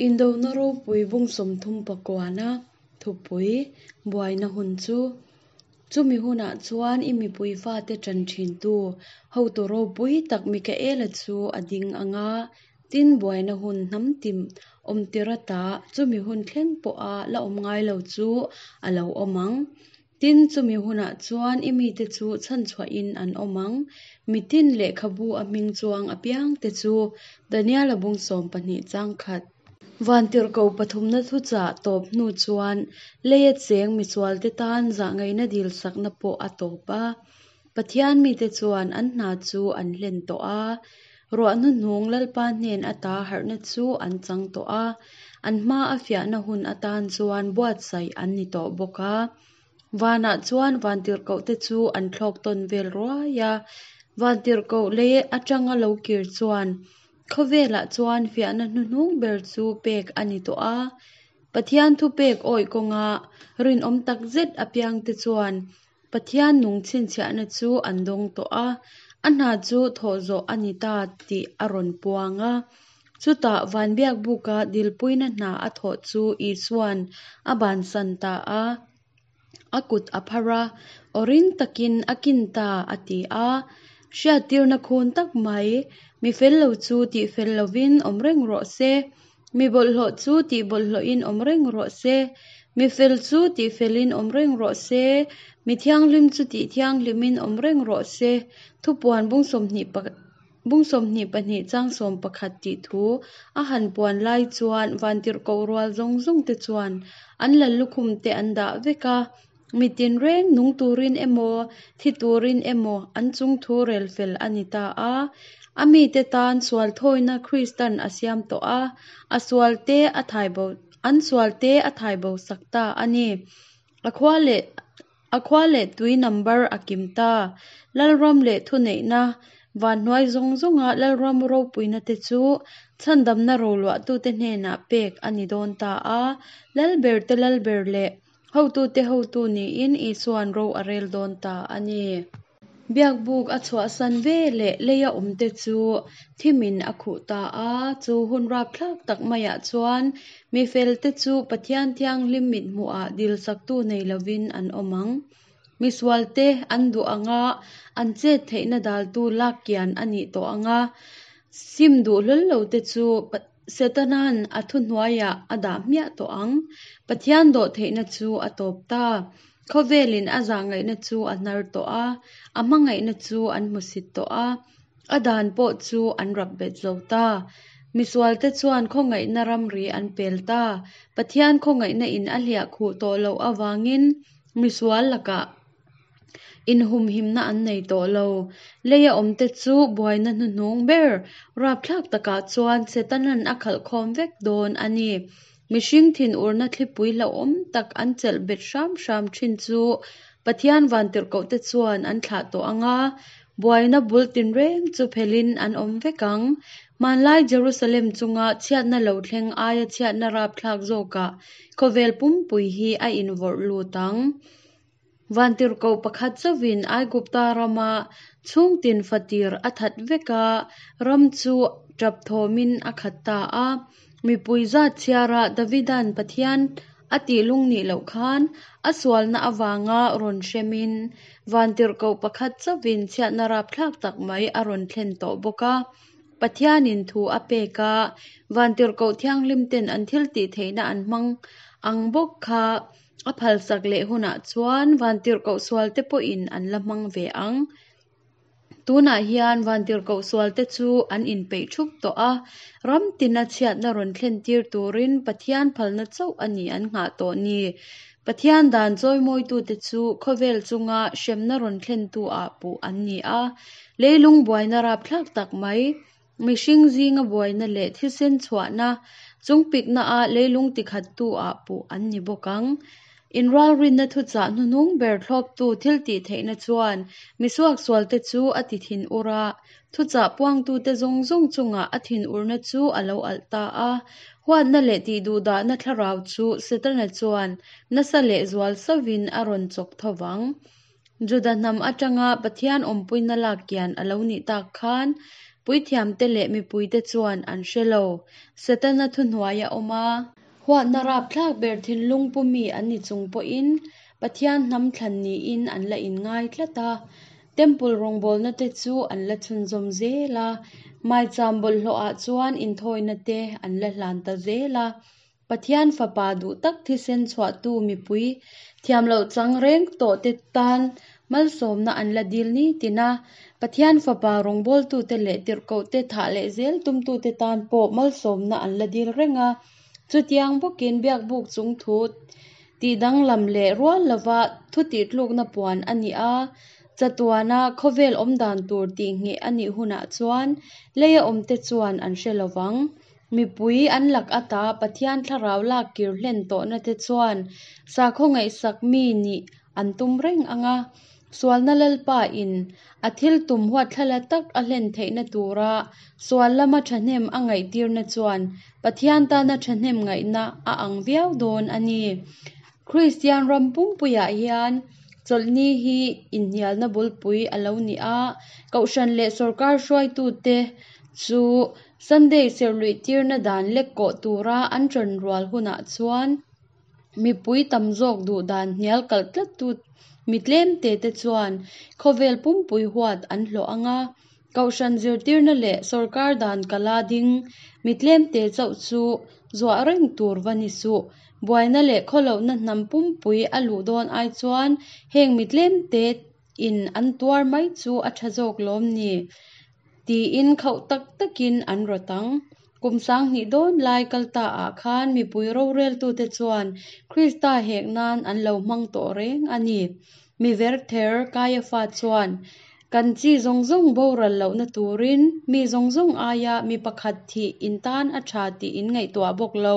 Indona ropui bung 39-na thupui buaina hun chu. Chumi hunah chuan i mipui fate ṭan ṭhintu hotu ropui tak Mikaela chu a ding ang a, tin buaina hun hnam tim awm tir ata chumi hun thleng pawha la awm ngai lo chu a lo awm ang. Tin, chumi hunah chuan i mite chu chhanchhuahin an awm ang. Mitin lehkhabu a hming chuang apiangte chu Daniela bung 12 chang khat. Vantirhkoh pathumna thuchah tawp hnu chuan leia cheng misualte tan zahngaihna dilsakna pawh a tawp a. Pathian mite chuan an hna chu an hlen tawh a. Ruah hnuhnung Lalpa hnen ata harhna chu an chang tawh a, an hma a fiahna hun atan chuan buatsaih an ni tawh bawk a. Vanah chuan vantirhkohte chu an thlawk tawn vel ruai a, vantirhkoh lei atanga lo kir chuan khawvelah chuan fiahna hnuhnung ber chu pek a ni tawh a. Pathian thupek awih kawnga rinawm takzet apiangte chuan Pathian nung chhinchhiahna chu an dawng tawh a, a hna chu thawh zawh a ni ta tih a rawn puang a. Chutah Vanbiakbuka dilpuina hna a thawh chu Isua'n a bansan ta a, a kut a phar a, aw ring takin a kin ta a ti a. Hriattirna khun tak mai, mi fel lo chu tih fel lovin awm reng rawh se, Mi bawlhhlawh chu tih bawlhhlawhin awm reng rawh se, mi fel chu tih felin awm reng rawh se, mi thianghlim chu tih thianghlimin awm reng rawh se, Thupuan bung sawmhnih bung 22 chang 11 tih thu a han puan lai chuan vantirhkoh rual zawng zawng te chuan an lallukhum te an dah vek a, mi tinreng nung turin emaw, thi turin emaw an chung thu rel fel a ni ta a. A mite tan sual thawina Kristan a siam tawh a, a sual te a thai bo an sual te a thai bo sak ta a ni. A khua leh a khua leh tui number a kim ta. Lalram leh thuneihna vanhnuai zawng zawnga Lalram ropuina te chu chhandamna roluahtute hnenah pek a ni dawn ta a. Lalberte Lalber leh Hotute hotu niin Isua'n ro a rel dawn ta a ni. Biakbuk a chhuahsan ve leh leia awmte chu thimin a khuh ta a. Chu hun rapthlak tak maiah chuan mi felte chu Pathian Thianghlim mithmuhah dilsaktu nei lovin an awm ang. Misualte an duh anga an chet theihna daltu lak kian a nih tawh ang a, sim duh hlawl lote chu Setana'n a thuhnuaiah a dah hmiah tawh ang. Pathian dawhtheihna chu a tawp ta. Khawvelin a zahngaihna chu a hnar tawh a, a hmangaihna chu an hmusit tawh a, a dan pawh chu an rap bet zo ta. Misualte chuan khawngaihna ramri an pel ta. Pathian khawngaihna in a hliah khuh tawh loh avangin misual lakah Inhumhimna an nei tawh lo. Leia awmte chu buaina hnuhnung ber rapthlak takah chuan Setanan a khalh khawm vek dawn a ni. Mihring thinurna thlipui hlauhawm tak an chelh bet hram hram thin chu Pathian vantirhkohte chuan an thlah tawh ang a, buaina bul tinreng chu phelhin an awm vek ang. Hmanlai Jerusalem chunga chhiatna lo thleng aia chhiatna rapthlak zawkah khawvel pumpui hi a invawrh lut ang. Vantirhkoh pakhat chauhin Aigupta rama chhungtin fatir a that vek a, ram chu tap thawmin a khat ta a. Mipui zat chhiara Davida'n Pathian a tih lung nih loh khan a sualna avanga rawn hremin vantirhkoh pakhat chauhin chhiatna rapthlak tak mai a rawn thlen tawh bawk a. Pathianin thu a pek a, vantirhkoh thianghlimten an thil tih theihna an hmang ang bawk kha A phalsak leh hunah chuan vantirhkoh sualte pawhin an la hmang ve ang. Tunah hian vantirhkoh sualte chu an inpeih thup tawh a, ram tina chhiatna rawn thlen tir turin Pathian phalna chauh a ni an nghah tawh ni. Pathian dan chawimawitute chu khawvel chunga hremna rawn thlentu ah puh an ni a, leilung buaina rapthlak tak mai Mihring zinga buaina leh thisen chhuahna chungpikna ah leilung tikhattu ah puh an ni bawk ang. Inralrinna thuchah hnuhnung ber thlawptu thil tih theihna chuan misuaksualte chu a ti thinur a, thuchah puangtute zawng zawng chungah a thinurna chu a lo alh ta a. Huatna leh tihduhdahna thlarau chu Setana chuan nasa leh zual sauhin a rawn chawk tho vang. Juda hnam atanga Pathian awmpuina lak kian a lo nih tak khan, Puithiamte leh mipuite chuan an hre lo. Setana thuhnuaia awm a. Huatna rapthlak ber thinlung pu mi an ni chung pawhin Pathian hnam thlan niin an la inngai tlat a. Temple rawngbawlna te chu an la chhunzawm zel a. Maicham bawlhhlawhah chuan inthawina te an la hlan ta zel a. Pathian Fapa duh tak thisen chhuahtu mipui thiam loh chang reng tawhte tan malsawmna an la dil ni tin a, Pathian Fapa rawngbawltute leh tirhkohte thah leh zel tumtute tan pawh malsawmna an la dil reng a. Chutiang bawkin biakbuk chung thu tihdanglam leh rual lova thu tihtlukna puan a ni a, chatuana khawvel awmdan tur tihngheh a nih hunah chuan leia awmte chuan an hre lovang. Mipui an lak ata Pathian thlarau lak kir hlen tawhna te chuan sakhaw ngaihsak mi nih an tum reng ang a, sualna Lalpa in a thil tum huatthlala tak a hlen theihna tura sual lama thahnem a ngaihtirna chuan Pathian tana thahnem ngaihna a ang viau dawn a ni. Kristian ram pumpuiah hian chawlhni hi inhnialna bulpui a lo ni a, Kohhran leh sawrkar hruaitute chu Sunday serhluih tirna dan lek kawh tura an ṭan rual hunah chuan mipui tam zawk duh dan hnial kalh tlattu mi tlemte te chuan khawvel pumpui huat an hlawh ang a, Kohhran zirtirna leh sawrkar dan kala ding mi tlemte chauh chu zuah reng tur va ni suh. Buaina leh khawlohna hnam pumpui a luh dawn ai chuan heng mi tlemte in an tuar mai chu a tha zawk lawm ni? Tiin khauh tak takin an rawt ang. Kum sanghnih dawn lai kal ta ah khan mipui roreltute chuan Krista hek nan an lo hmang tawh reng a ni. Mi verther Kaiafa chuan, Kan chi zawng zawng boral lohna turin mi zawng zawng aia mi pakhat thih in tan a tha tih in ngaihtuah bawk lo,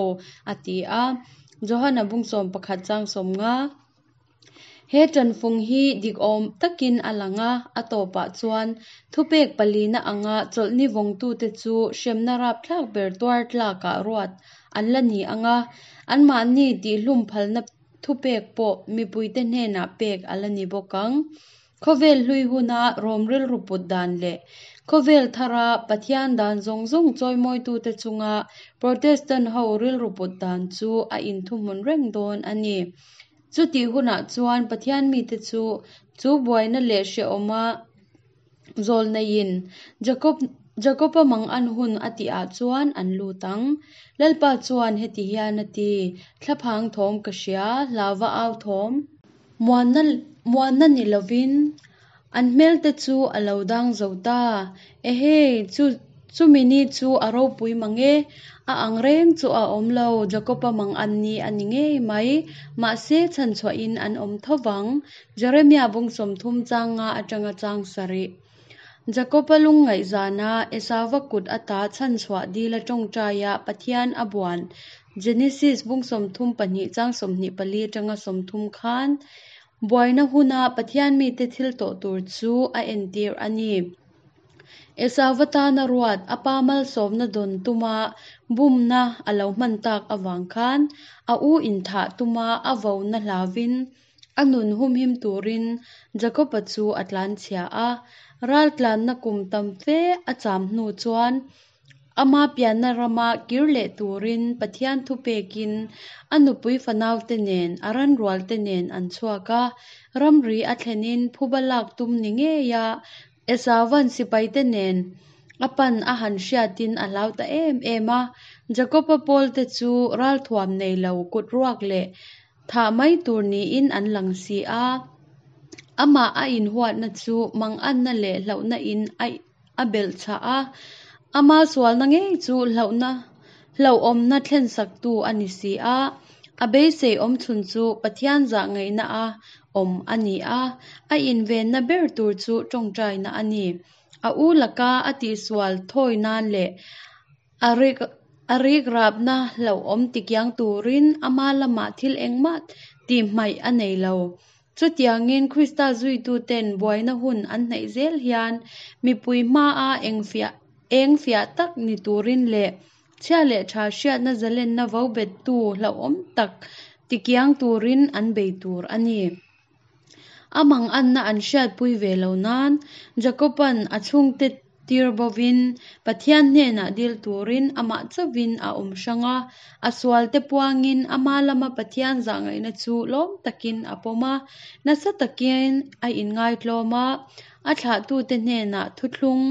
a ti a. Johana bung 11 chang 50. He ṭanfung hi dik awm takin a lang a, a tawpah chuan thupek palina anga chawlhni vawngtute chu hremna rapthlak ber tuar tlakah ruat an la ni ang a, anmahni tihhlum phalna thupek pawh mipuite hnenah pek a la ni bawk ang. Khawvel hlui huna Rom rilru put dan leh khawvel thara Pathian dan zawng zawng chawimawitute chunga Protestant ho rilru put dan chu a inthuhmun reng dawn a ni. Chutih hunah chuan Pathian mite chu chu buaina leh hrehawma zawl neiin Jakob Jakoba mangan hun a tihah chuan an lut ang. Lalpa chuan heti hian a ti, Thlaphang thawm ka hria, hlauva au thawm. Muanna muanna ni lovin an hmelte chu a lo dang zo ta. Ehei, chu chumi ni chu a ropui mang e, a ang reng chu a awm lo, Jakoba mang an ni a ni ngei mai. Mahse, chhanchhuahin an awm tho vang. Jeremia bung 30 chang nga atanga chang sarih. Jakoba lungngaih zana Esauva kut ata chhanchhuah dila tawngtaia Pathian a buan Genesis bung 32 chang 24 atanga 30 khan buaina huna Pathian mite thil tawh tur chu a entir a ni. Esauva tana ruat a pa malsawmna dawn tuma bumna a lo hman tak avang khan a u inthah tuma a vona hlauvin A nun humhim turin Jakoba chu a tlanchhia a, raltlanna kum tam fe a cham hnu chuan ama pianna rama kir leh turin Pathian thupekin a nupui fanaute nen a ranrualte nen an chhuak a, ramri a thlenin phuba lak tum ni ngeia Esauva'n sipaite nen a pan a han hriatin a hlau ta em em a, Jakoba pawlte chu ralthuam nei lo kut ruak leh Thah mai tur niin an lang si a, amah a inhuatna chu manganna leh hlauhna in a a belh chhah a, ama sualna ngei chu hlauhna hlauhawmna thlensaktu a ni si a, a beisei awm chhun chu Pathian zah ngaihna a awm a ni a, a invenna ber tur chu tawngtaina a ni. A u laka a tihsual thawi nan leh A rik a rik rapna hlauhawm tikiang turin ama lamah thil engmah tihhmaih a nei lo. Chutiangin Krista zuituten buaina hun an hnaih zel hian mipui hmaa engfiah eng fiah tak ni turin leh chhia leh tha hriatna zalenna vo bettu hlauhawm tak tikiang turin an bei tur a ni. A manganna an hriatpui ve lo nan Jakoba'n a chhungte. tir bovin Pathian hnenah dil turin amah chauhvin a awm hrang a. A sualte puangin ama lama Pathian zahngaihna chu lawm takin a pawm a, nasa takin a inngaitlawm a. A thlahtute hnenah thuthlung,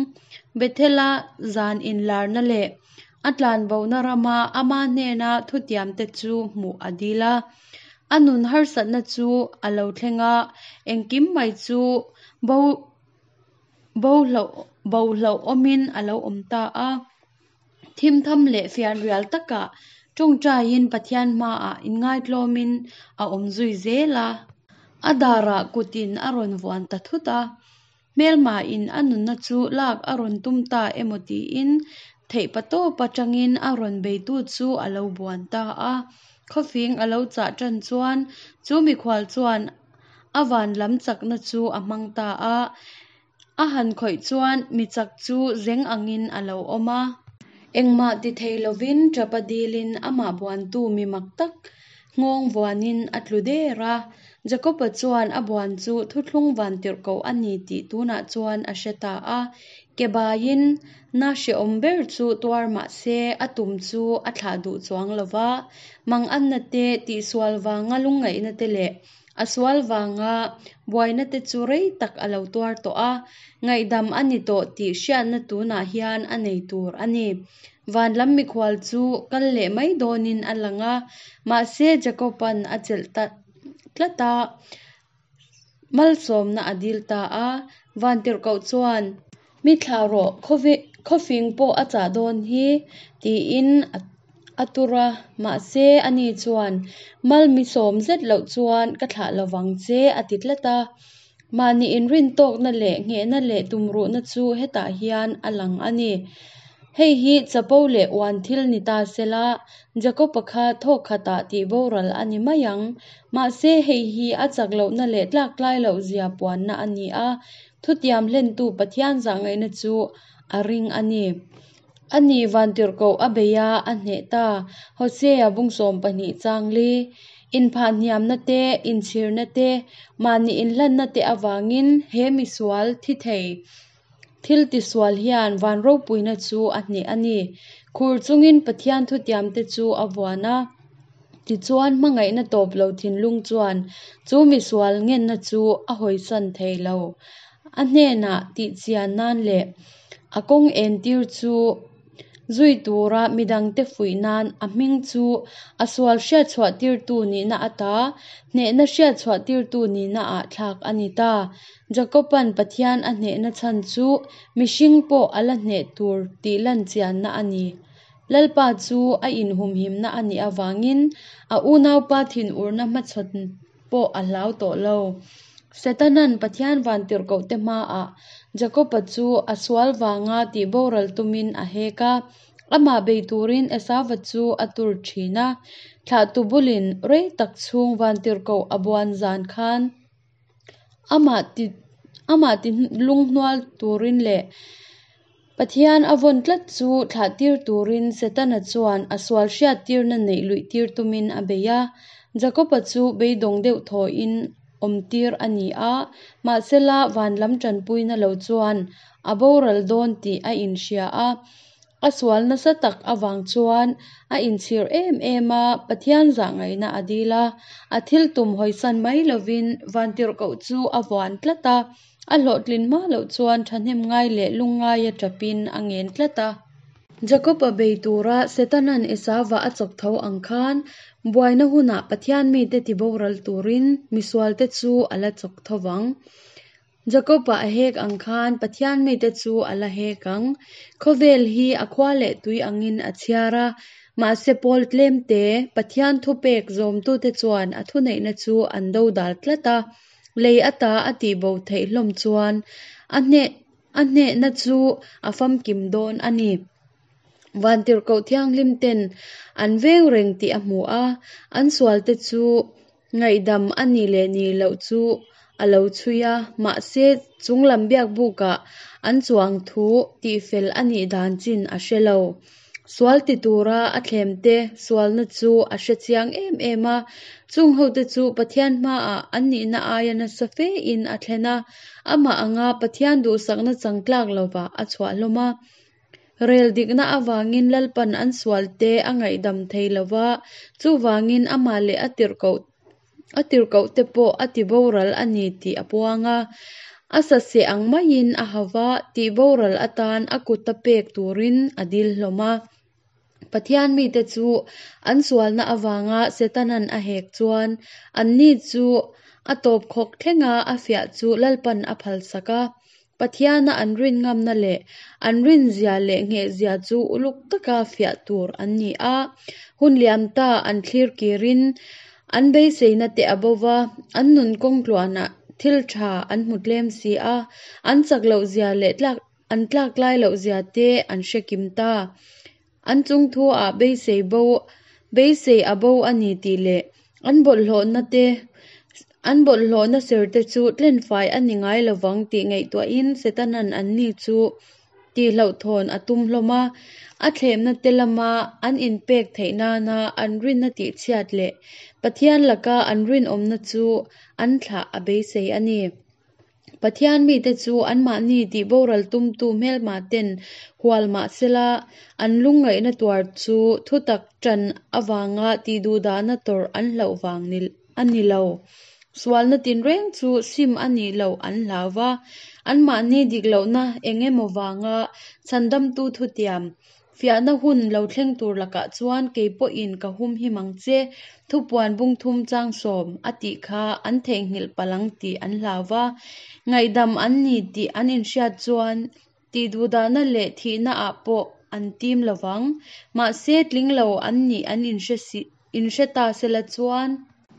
Bethela zan inlarna leh a tlanbohna rama ama hnena thutiamte chu hmuh a dil a. A nun harsatna chu a lo thleng a, engkim mai chu bo bo hlauhawmin a lo awm ta a. Thimtham leh fianrial takah tawngtaiin Pathian hmaah inngaitlawmin a awm zui zel a. A darah kutin a rawn vuan ta thut a. Hmelmain a nunna chu lak a rawn tum ta emaw tiin theihpatawp atangin a rawn beitu chu a lo buan ta a. Khawfing a lo chah tan chuan chu mikhual chuan a van lam chakna chu a hmang ta a. A han khawih chuan mi chak chu zeng angin a lo awm a. Engmah ti thei lovin tapa dilin amah buantu mi mak tak nghawng vuanin a tlu der a. Jakoba chuan a buan chu thuthlung vantirhkoh a ni tih tunah chuan a hre ta a. Ke baiin na hrehawm ber chu tuar mah se a tum chu a thlah duh chuang lo va. Manganna te, tihsual vanga lungngaihna te leh A sual vanga buaina te chu rei tak a lo tuar tawh a, ngaihdam a ni tawh tih hriatna tunah hian a nei tur a ni. Van lam mikhual chu kal leh mai dawnin a lang a, mahse Jakoba'n a chelh ta tlat a, malsawmna a dil ta a. Vantirhkoh chuan. Mi thlah rawh, khawfing pawh a chah dawn hi, tiin a tur a. Mahse, ani chuan, Mal mi sawm zet loh chuan ka thlah lo vang che, a ti tlat a. Mahni inrintawkna leh nghehna leh tumruhna chu hetah hian a lang a ni. Hei hi chapo leh uan thil ni ta sela, Jakob-a kha thawk khatah tih boral a ni mai ang. Mahse, hei hi a chak lohna leh tlaktlai loh zia puanna a ni a, Thutiam hlentu Pathian zahngaihna chu a ring a ni. A ni vantirhkoh a bei a, a hneh ta. Hosea bung 12 chang li. Inphahhniamna te, inchhirna te, mahni inhlanna te avangin he misual thi thei thil tisual hian van ropuina chu a hneh a ni. Khur chungin Pathian thutiam te chu a vuan a. Tichuan, hmangaihna tawp lo thinlung chuan chu misual ngenna chu a hawisan thei lo. A hnenah tihchian nan leh a kawng entir chu zui tura midangte fuih nan a hming chu a sual hriatchhuahtirtu nihna ata hnehna hriatchhuahtirtu nihnaah thlak a ni ta. Jakoba'n Pathian a hnehna chhan chu mihring pawh a la hneh tur tih lanchianna a ni. Lalpa chu a inhumhimna a nih avangin a unaupa thinurna hmachhawn pawh a hlau tawh lo. Setana'n Pathian vantirhkohte hmaah Jakoba chu a sual vanga tihboral tumin a hek a, amah bei turin Esauva chu a tur thin a. Thlahtu bulin rei tak chhung vantirhkoh a buan zan khan amah ti lunghnual turin leh Pathian a vawn tlat chu thlahtir turin Setana chuan a sual hriattirna neih luihtir tumin a bei a. Jakoba chu beidawng deuh thawhin awmtir a ni a, mahsela van lam tanpuina lo chuan a boral dawn tih a inhria a. A sual nasa tak avang chuan a inchhir em em a, Pathian zahngaihna a dil a. A thil tum hawisan mai lovin vantirhkoh chu a vuan tlat a. A hlawhtlin hma loh chuan thahnem ngai leh lungngaia tapin a ngen tlat a. Jakob-a bei tura Setana'n Esauva a chawk tho ang khan, buaina hunah Pathian mite tiboral turin misualte chu a la chawk tho vang. Jakob-a a hek ang khan Pathian mite chu a la hek ang. Khawvel hi a khua leh tui angin a chhiar a, mahse pawl tlemte Pathian thupek zawmtute chuan a thuneihna chu an dodal tlat a. Lei ata a tihbo theih hlawm chuan a hneh a hnehna chu a famkim dawn a ni. Vantirhkoh Thianghlim ten an veng reng tih a hmu a, an sualte chu ngaihdam a nih leh nih loh chu a lo chhui a, mahse chunglam biakbukah an chuang thu tihfel a nih dan chin a hre lo. Sual ti tura a thlemte sualna chu a hre chiang em em a. Chung hote chu Pathian hmaah an nihna aia nasa fein a thlen a, amah anga Pathian duhsakna chang tlak lovah a chhuah hlawm a. Rel dikna avangin Lalpan an sualte a ngaihdam thei lova, chuvangin amah leh a tirhkoh a tirhkohte pawh a tiboral a ni tih a puang a. A saseh ang maiin a hau va, tihboral atan a kuta pek turin a dil hlawm a. Pathian mite chu an sualna avanga Setanan a hek chuan anni chu a tawpkhawk thlenga a fiah chu Lalpan a phalsak a. Pathiana an rin ngamna leh an rinzia leh nghehzia chu uluk taka fiah tur an ni a. Hun liam ta an thlir kirin an beiseina te a bo va, an nun kawng tluanah thil tha an hmu tlem si a, an chak lohzia leh tlak an tlaklai lohzia te an hre kim ta. An chungthu-ah beisei bo beisei a bo a ni tih leh an bawlhhlawhna te an bawlhhlawhna ser te chu tlenfai a ni ngai lovang tih ngaihtuahin Setanan anni chu tihhlauhthawn a tum hlawm a. A thlemna te lama an inpek theih nana an rinna tihchhiat leh Pathian laka an rinawmna chu an thlah a beisei a ni. Pathian mite chu anmahni tihboral tumtu hmelma ten hual mah sela, an lungngaihna tuar chu thutak tan avanga tihduhdahna tawrh an hlauh vang a ni lo. Sualna tinreng chu sim a nih loh an hlau va, anmahni dik lohna eng emaw vanga chhandamtu thutiam Fiahna hun lo thleng tur lakah chuan kei pawhin ka humhim ang che, thupuan bungthum changsawm a tih kha an theihnghilh palh ang tih an hlau va. Ngaihdam an ni tih an inhriat chuan tihduhdahna leh thihna ah pawh an tim lovang. Mahse tling lo an nih an inhre si inhre ta sela chuan.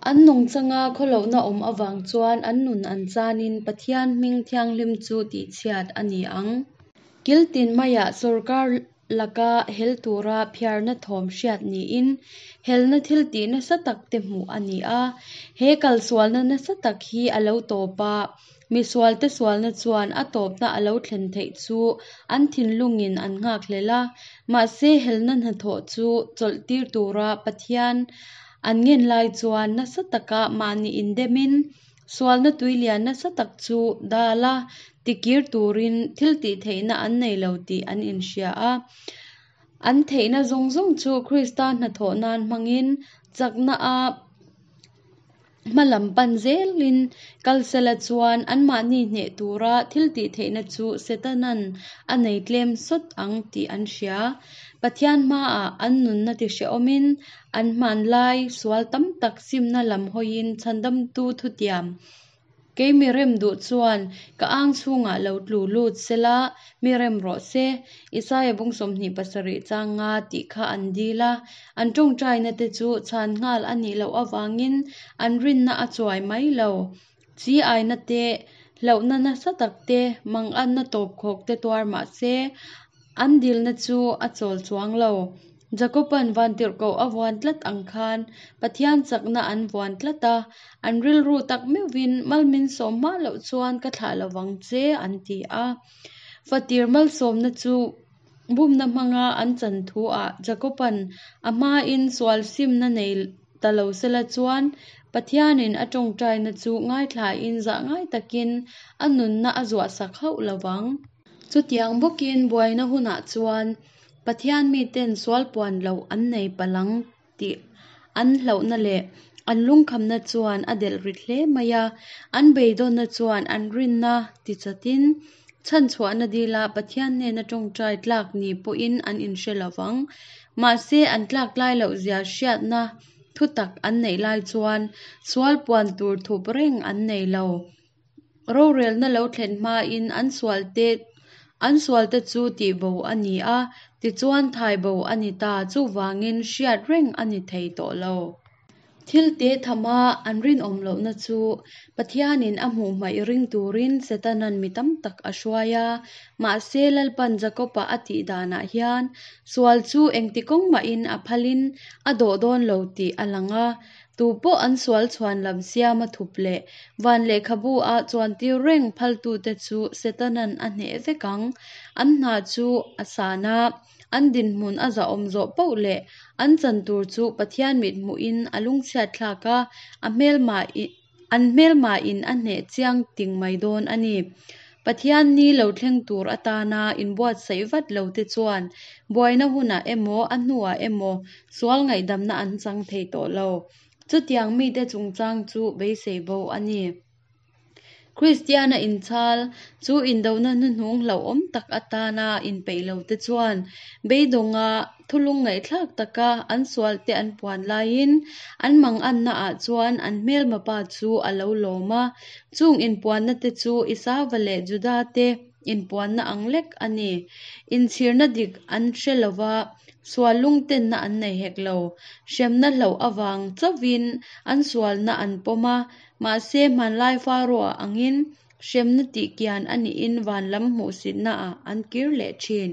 An nungchanga khawlohna awm avang chuan an nun an chanin Pathian hming thianghlim chu tihchhiat a ni ang. Kil tin maiah sorkar laka hel tura phiarna thawm hriat niin helna thil tih nasa tak te hmuh a ni a. He kalsualna nasa tak hi a lo tawp a, misualte sualna chuan a tawpna a lo thlen theih chu an thinlungin an nghakhlel a. Mahse helna hnathawh chu chawlhtir tura Pathian an ngen lai chuan nasa taka mahni indemin Sualna tuilian nasa tak chu dal a, tikir turin thil tih theihna an nei lo tih an inhria a. An theihna zawng zawng chu Krista hnathawh nan hmangin chakna a hma lam pan zelin kal sela chuan anmahni hneh tura thil tih theihna chu Setanan a nei tlem sawt ang tih an hria. Pathian hmaah an nunna tihrehawmin An hmanlai sual tam tak simna lam hawiin chhandamtu thutiam, Kei mi rem duh chuan ka ang chhungah lo tlu lut sela, mi rem rawh se, Isaia bung 27 chang nga tih kha an dil a. An tawngtaina te chu chhan nghal a nih loh avangin an rinna a chuai mai lo. Chi aina te, hlauhna nasa tak te, manganna tawpkhawk te tuar mah se, An dilna chu a chawl chuang lo. Jakoban vantirhkoh a vuan tlat ang khan Pathian chakna an vuan tlat a, an rilru tak meuhvin malmin sawm hma loh chuan ka thlah lo vang che an ti a. Fatir malsawmna chu bumna hmanga an chan thu ah Jakoban a hmain sual simna nei ta lo sela chuan Pathianin a tawngtaina chu ngaithlain zah ngai takin a nunna a zuahsak hauh lo vang. Chutiang bawkin buaina hunah chuan Pathian miten sual puan loh an nei palh ang tih an hlauhna leh an lungkhamna chuan a delh rit hle mai a. An beidawnna chuan an rinna tichatin chhanchhuahna dila Pathian hnena tawngtai tlak ni pawhin an inhre lo vang. Mahse an tlak lai lohzia hriatna thutak an neih lai chuan sual puan tur thup reng an nei lo. Rorelna lo thlen hmain an sualte an sualte chu tihbo a ni a, tichuan thaibo a ni ta, chuvangin hriat reng a ni thei tawh lo. Thil te thama an rinawm lohna chu Pathianin a hmuh hmaih ring turin Setanan mi tam tak a hruai a, mahse Lalpan Jakob-a a tih danah hian sual chu engti kawng mahin a phalin a dawh dawn lo tih a lang a, Tu pawh an sual chhuan lam siama thup leh van lehkhabu a chuantir reng phaltute chu Setanan a hneh vek ang. An hna chu a san a, An dinhmun a zahawm zawh poh leh an chan tur chu Pathian mithmuhin a lungchhiatthlak a, a hmelma an hmelmain a hneh chiang ting mai dawn a ni. Pathian ni lo thleng tur atana inbuatsaih vat lote chuan buaina hunah emaw a hnuah emaw sual ngaihdamna an chang thei tawh lo. Chutiang mite chungchang chu beisei bo a ni. Kristiana inchhal chu indona hnuhnung hlauhawm tak atana inpeih lote chuan beidawnga thulung ngaihthlak taka an sualte an puan laiin an mangannaah chuan an hmelma pa chu a lo lawm a. Chung inpuannate chu Isauva leh Juda te inpuanna ang lek a ni. Inchhirna dik an hre lo va, sual lungtenna an nei hek lo. Hremna hlauh avang chauhin an sualna an pawm a, mahse hmanlai Faroa angin hremna tihkian a nihin van lam hmuhsitnaah an kir leh thin.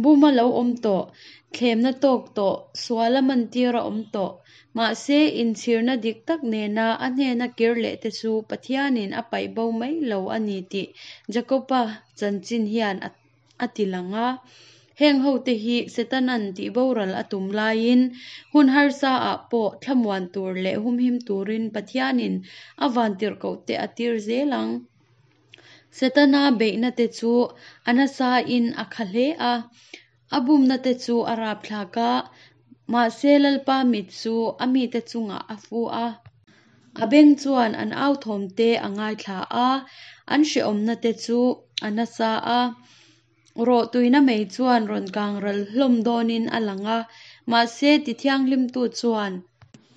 Buma lo awm tawh, thlemna tawk tawh, suala mantir a awm tawh. Mahse, inchhirna dik tak nena a hnena kir leh te chu Pathianin a paih bo mai lo a ni tih Jakoba chanchin hian a ti lang a. Heng hote hi Setana'n tihboral a tum laiin hun harsa ah pawh thlamuan tur leh humhim turin Pathianin a vantirhkohte a tir zel ang. Setana beihna te chu a nasain a kha hle a, a bumna te chu a rapthlak a, mahse Lalpa mit chu a mite chungah a fu a. A beng chuan an authawm te a ngaithla a, an hrehawmna te chu a nasa a. Rawhtuina mei chuan rawn kang ral hlawm dawnin a lang a, mahse tithianghlimtu chuan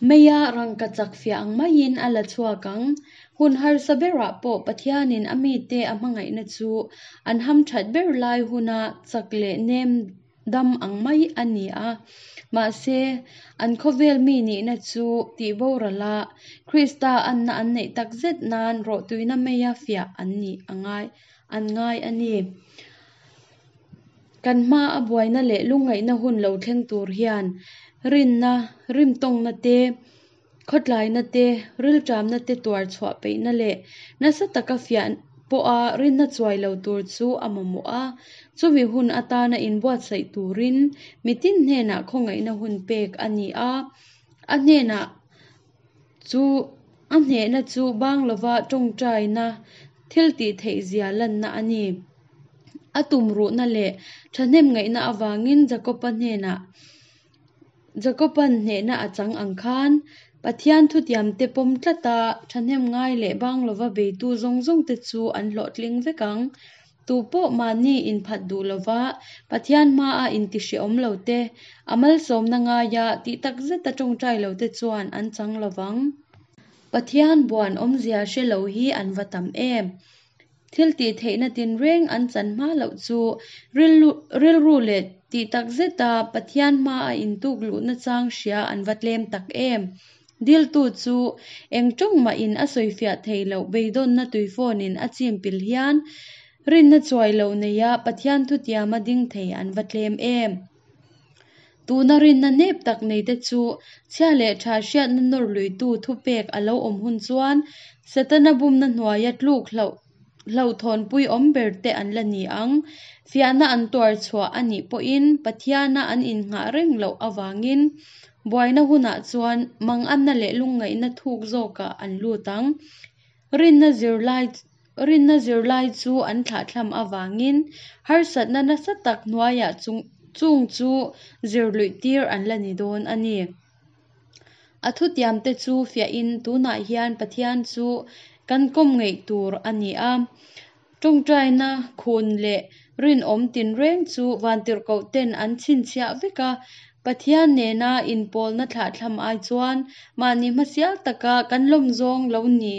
meia rangkachak fiah ang maiin a la chhuak ang. Hun harsa berah pawh Pathianin a mite a hmangaihna chu an hamthat ber lai huna chak leh nem dam ang mai a ni a. Mahse, an khawvel mi nihna chu tihboral a, Krista anna an neih takzet nan rawhtuina meia fiah an nih a ngai. an ngai a ni. Kan hma a buaina leh lungngaihna hun lo thleng tur hian rinna, rimtawngna te, khawtlaina te, rilṭamna te tuar chhuah peihna leh nasa taka fiah pawha rinna chuai lo tur chu a mamawh a. Chumi hun atana inbuatsaih turin mitin hnenah khawngaihna hun pek a ni a, a hnenah Chu a hnehna chu bang lova tawngtaina thil tih theih zia lanna a ni. A tumruhna leh thahnem ngaihna avangin Jakoba hnenah Jakoba'n hnehna a chang ang khan Pathian thutiamte pawm tlata thahnem ngai leh bang lova beitu zawng zawngte chu an hlawhtling vek ang. Tu pawh mahni inphat duh lova Pathian hmaa intihreawm lo te, a malsawmna ngaia tih tak zeta tawngtai lo te chuan an chang lovang. Pathian buan awmzia hre lo hi an va tam em! Thil tih theihna tinreng an chan hma loh chu rilru leh tih tak zeta Pathian hmaa intuk luhna chang hria an va tlem tak em! Diltu chu eng tawng mahin a sawifiah thei loh beidawnna tuifawnin a chim pil hian rinna chuai lo neia Pathian thutiama ding thei an va tlem em? Tuna rinna nep tak neite chu chhia leh tha hriatna nawr luitu thupek a lo awm hun chuan Setana bumna hnuaia tluk hlauh hlauhthawnpui awm ber te an la ni ang. Fiahna an tuar chhuah a nih pawhin Pathiana an innghah reng loh avangin buaina hunah chuan manganna leh lungngaihna thuk zawkah an lut ang. Rinna zirlai rinna zirlai chu an thlahthlam avangin harsatna nasa tak hnuaiah chung chung chu zir luih tir an la ni dawn a ni. A thutiamte chu fiahin tunah hian Pathian chu kan kawm ngeih tur a ni a. Tawngtaina khun leh rinawm tinreng chu vantirhkohten an chhinchhiah vek a. Pathian nena inpawlna thlahthlam ai chuan mahni hmasial taka kan lawmzawng lo ni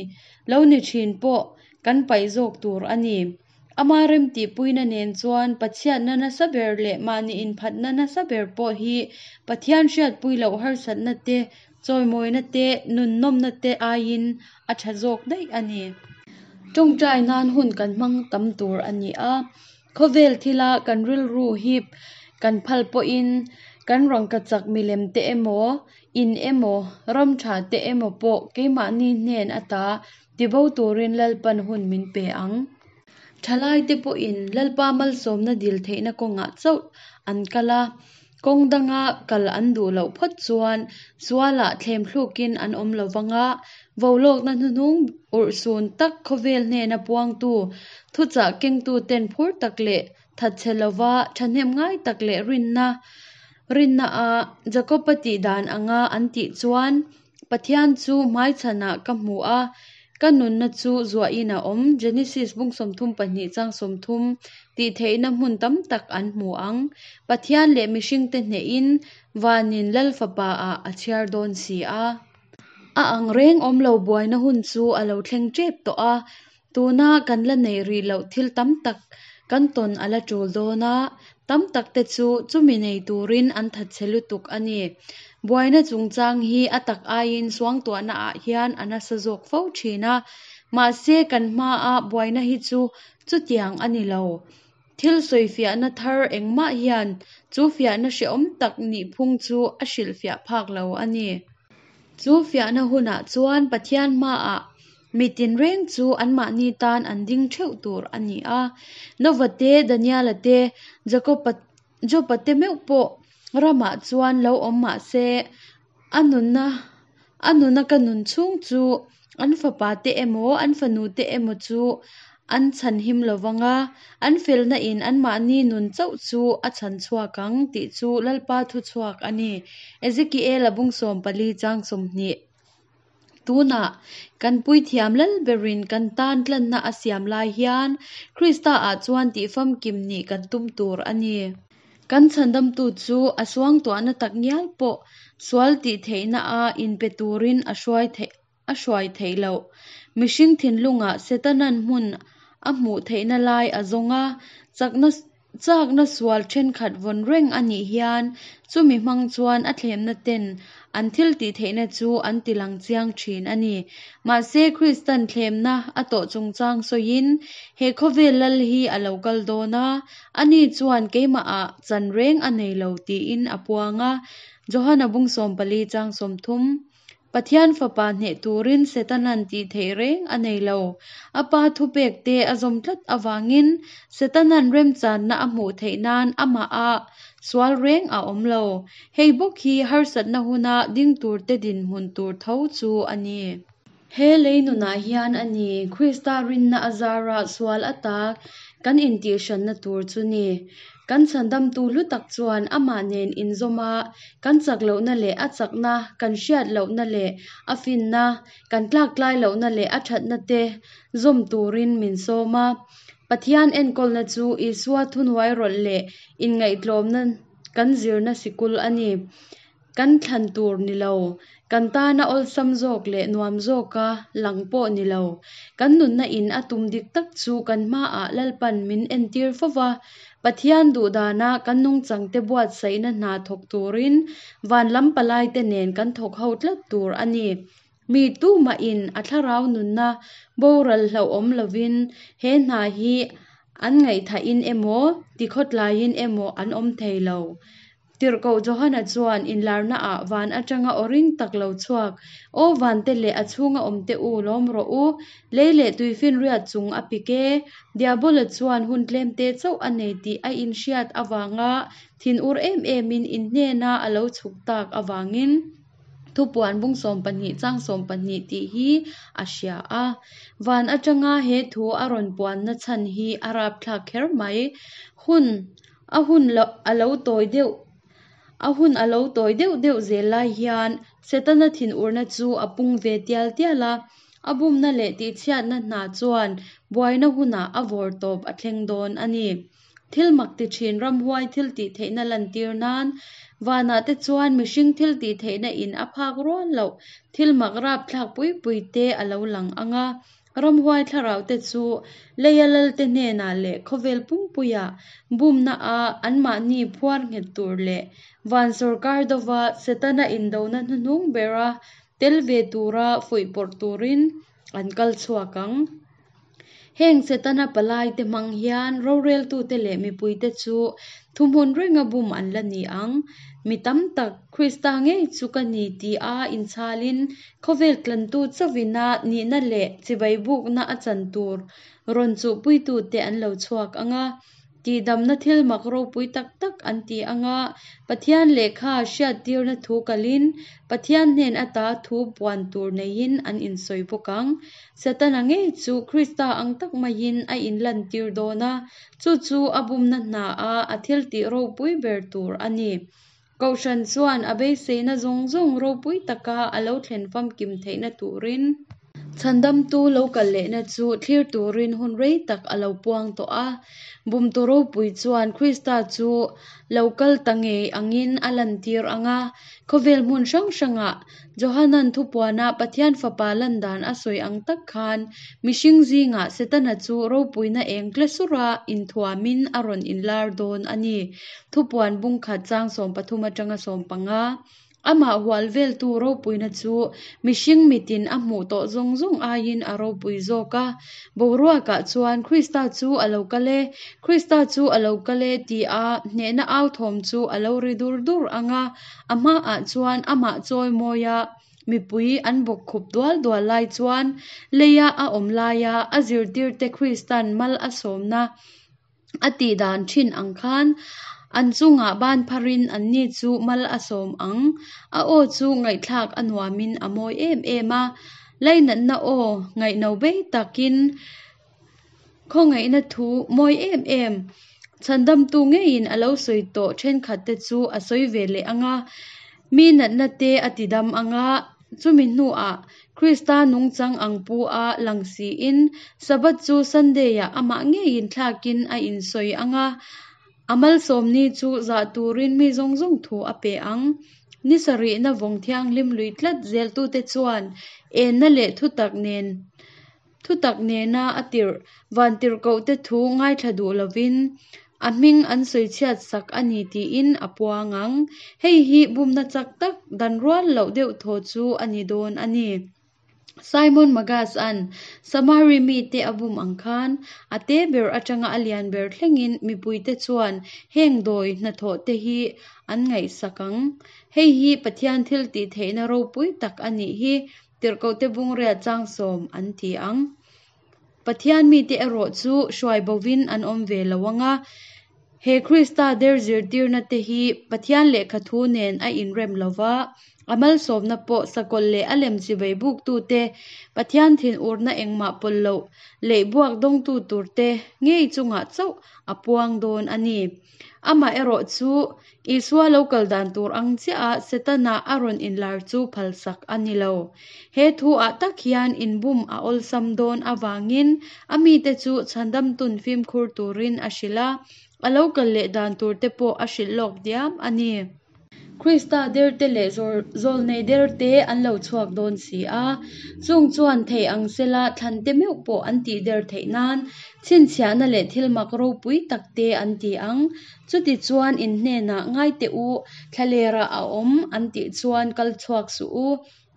lo ni thin pawh kan paih zawk tur a ni. Ama remtihpuina nen chuan Pathianna nasa ber leh mahni inphatna nasa ber pawh hi Pathian hriatpui loh harsatna te, chawimawina te, nunnawmna te aiin a tha zawk daih a ni. Tawngtai nan hun kan hmang tam tur a ni a, khawvel thila kan rilru hip kan phal pawhin kan rangkachak milem te emaw, in emaw, ram tha te emaw pawh keimahni hnen ata Tibo turin Lalpan hun min pe ang. Thalaite pawhin Lalpa malsawmna dil theihna kawngah chauh an kal a, kawng danga kal an duh loh phawt chuan sualah thlemthlukin an awm lo vang a, volawkna hnuhnung urhsun tak khawvel hnena puangtu, thuchah kengtuten phur tak leh thatchhe lova thahnem ngai tak leh rinna rinna a Jakob-a tih dan anga an tih chuan Pathian chu hmaichhanah ka hmu a, ka nunna chu zuahin a awm, Genesis bung 32 chang 30, tih theihna hmun tam tak an hmu ang. Pathian leh mihringte hnehin vanin Lal Fapa-ah a chhiar dawn si a. A ang reng awm lo buaina hun chu a lo thleng tep tawh a, Tuna kan la neih rih loh thil tam tak kan tawn a la tul dawn a, tam tak te chu chumi nei turin an thatchhe lutuk a ni. Buaina chungchang hi a tak aiin suangtuahna ah hian a nasa zawk fo thin a, mahse kan hmaa buaina hi chu chutiang a ni lo. Thil sawifiahna thar engmah hian chu fiahna hrehawm tak nihphung chu a hrilhfiah phak lo a ni. Chu fiahna hunah chuan Pathian hmaah mi tinreng chu anmahni tan an ding theuh tur a ni a. Nova te, Daniela te, Jakoba Joba te meuh pawh ramah chuan lo awm mah se, a nunna a nuna ka nun chhung chu an fapa te emaw an fanu te emaw chu an chhan him lo vang a, an felna in anmahni nun chauh chu a chhan chhuak ang tih chu Lalpa thu chhuak a ni. Ezekiel-a bung 14 chang 20. Tunah kan puithiam lal berin kan tan tlanna a siam lai hian Krista-ah chuan tih famkim nih kan tum tur a ni. Kan chhandamtu chu a suangtuahna tak ngial pawh sual tih theihna a inpe turin a hruai theih a hruai theih loh. Mihring thinlungah Setanan hmun a hmuh theihna lai a zawng a, chakna chakna sual thenkhat vawn reng a nih hian chumi hmang chuan a thlemna ten an thil tih theihna chu an ti lang chiang thin a ni. Mahse Kristan thlemna a tawh chungchang sawiin he khawvel lal hi a lo kal dawn a, ani chuan keimahah chan reng a nei lo tiin a puang a, Johana bung 14 chang 30. Pathian fapa hneh turin Setanan tih theih reng a nei lo. A pa thupek te a zawm tlat avangin Setanan remchanna a hmuh theih nan amah a sual reng a awm lo. Hei bawk hi harsatna huna ding tur te dinhmun tur tho chu a ni. He lei nunah hian a ni, Krista rinna a zara sual ata kan intihhranna tur chu ni. Kan chhandamtu hlu tak chuan amah nen inzawm a, kan chak lohna leh a chakna, kan hriat lohna leh a finna, kan tlaktlai lohna leh a thatna te zawm turin min sawm a. Pathian enkawlna chu Isua thuhnuai rawlh leh inngaihtlawmna kan zirna sikul a ni. Kan thlan tur ni lo, kan tana awlsam zawk leh nuam zawka lang pawh ni lo. Kan nunna in a tum dik tak chu kan hmaah Lalpan min entir fo va, Pathian duhdana kan nungchangte buatsaihna hna thawk turin van lam palaite nen kan thawk ho tlat tur a ni. Mi tumahin a thlarau nunna boral hlauhawm lovin he hna hi an ngaihthahin emaw, tikhawtlaiin emaw an awm thei lo. Tirhkoh Johana chuan inlarnaah van atanga aw ring tak lo chhuak, Aw vante leh a chhunga awmte u, lawm rawh u, lei leh tuifinriat chung a pik e. Diabola chuan hun tlemte chauh a nei tih a inhriat avanga thinur em emin in hnena a lo chhuk tak avangin Thupuan bung 12 chang 12 tih hi a hria a. Van atanga he thu a rawn puanna chhan hi a rapthlak kher mai. Hun A hun lo a lo tawi deuh A hun a lo tawi deuh deuh zel lai hian Setana thinurna chu a pung ve tial tial a, a bumna leh tihchhiatna hna chuan buaina hunah a vawr tawp a thleng dawn a ni. Thil mak ti thin ramhuai thil tih theihna lantir nan vanah te chuan mihring thil tih theihna in a phak rual loh thil mak rapthlak pui pui te a lo lang ang a, Ramhuai thlarau te chu leia lalte hnenah leh khawvel pumpuia bumna a anmahni phuar nghet tur leh van sawrkar dova Setana indona hnuhnung bera tel ve tura fuihpawrh turin an kal chhuak ang. Heng Setana palai te hmang hian roreltute leh mipuite chu thuhmun renga bum an la ni ang. Mi tam tak, Krista ngei chu ka ni ti a inchhalin khawvel tlantu chauhina nihna leh chibai bukna a chan tur rawn chuhpuitute an lo chhuak ang a. Tihdamna thil mak ropui tak tak an ti ang a, Pathian lehkha hriattirna thu kalin Pathian hnen ata thu puan tur neiin an insawi bawk ang. Setana ngei chu Krista ang tak maiin a inlantir dawn a, chu chu a bumna hnaah a thiltih ropui ber tur a ni. Kohhran chuan a beiseina zawng zawng ropui taka a lo thlen famkim theihna turin Chhandamtu lo kal lehna chu thlir turin hun rei tak a lo puang tawh a. Bumtu ropui chuan Krista chu lo kal ta ngei angin a lantir ang a. Khawvel hmun hrang hrangah Johanan thupuana Pathian Fapa lan dan a sawi ang tak khan mihring zingah Setana chu ropuina eng tle sura inthuamin a rawn inlar dawn a ni. Thupuan bungkhat chang 13 atanga 15. Amah hual veltu ropuina chu mihring mitin a hmuh tawh zawng zawng aiin a ropui zawk a. Boruakah chuan Krista chu a lo kal e, Krista chu a lo kal e tia hnehna au thawm chu a lo ri dur dur ang a. A hmaah chuan amah chawi mawia mipui an bawk khup dual dual lai chuan leia a awm laia a zirtirte Kristan mal a sawmna a tih dan thin ang khan an chungah ban pharin anni chu mal a sawm ang. A aw chu ngaihthlak a nuamin a mawi em em a, lainatna aw ngaihno bei takin khawngaihna thu mawi em em chhandamtu ngeiin a lo sawi tawh thenkhatte chu a sawi ve leh ang a, mi natna te a tidam ang a, chumi hnuah Krista nungchang ang pu a lang siin Sabbath chu Sunday-ah amah ngeiin thlakin a insawi ang a, a malsawmni chu zah turin mi zawng zawng thu a pe ang. Ni sarihna vawng thianghlim lui tlat zeltute chuan enna leh thutak nen Thutak nena a tirh vantirhkohte thu ngaithla duh lovin a hming an sawi chhiat sak a ni tiin a puang ang. Hei hi bumna chak tak dan rual loh deuh thaw chu a ni dawn a ni. Simon Magas-a'n Samari mite a bum ang khan a te ber atanga a lian ber thlengin mipuite chuan heng dawi hnathawhte hi an ngaihsak ang. Hei hi Pathian thiltihtheihna ropui tak a nih hi. Tirhkohte bungriat chang sawm an ti ang. Pathian mite erawh chu hruai bovin an awm ve lo ang a, he Krista der zirtirna te hi Pathian lehkha thu nen a inrem lo va, a malsawmna pawh sakawlh leh a lem chivei buktute, Pathian thinurna engmah pawlh loh leh buak dawngtu turte ngei chungah chauh a puang dawn a ni. Amaherawh chu Isua lo kal dan tur ang chiah a Setana a rawn inlar chu phalsak a ni lo. He thu ah tak hian inbum a awlsam dawn avangin a mite chu chhandamtun fimkhur turin a hrilh a, a lo kal leh dan tur te pawh a hrilh lawk diam a ni. Krista derte leh zawlnei derte an lo chhuak dawn si a, chung chuan thei ang sela thlante meuh pawh an tih der theih nan chhinchhiahna leh thil mak ropui takte an ti ang. Chutichuan in hnenah ngai teh u, thlalerah a awm an tih chuan kal chhuak suh u,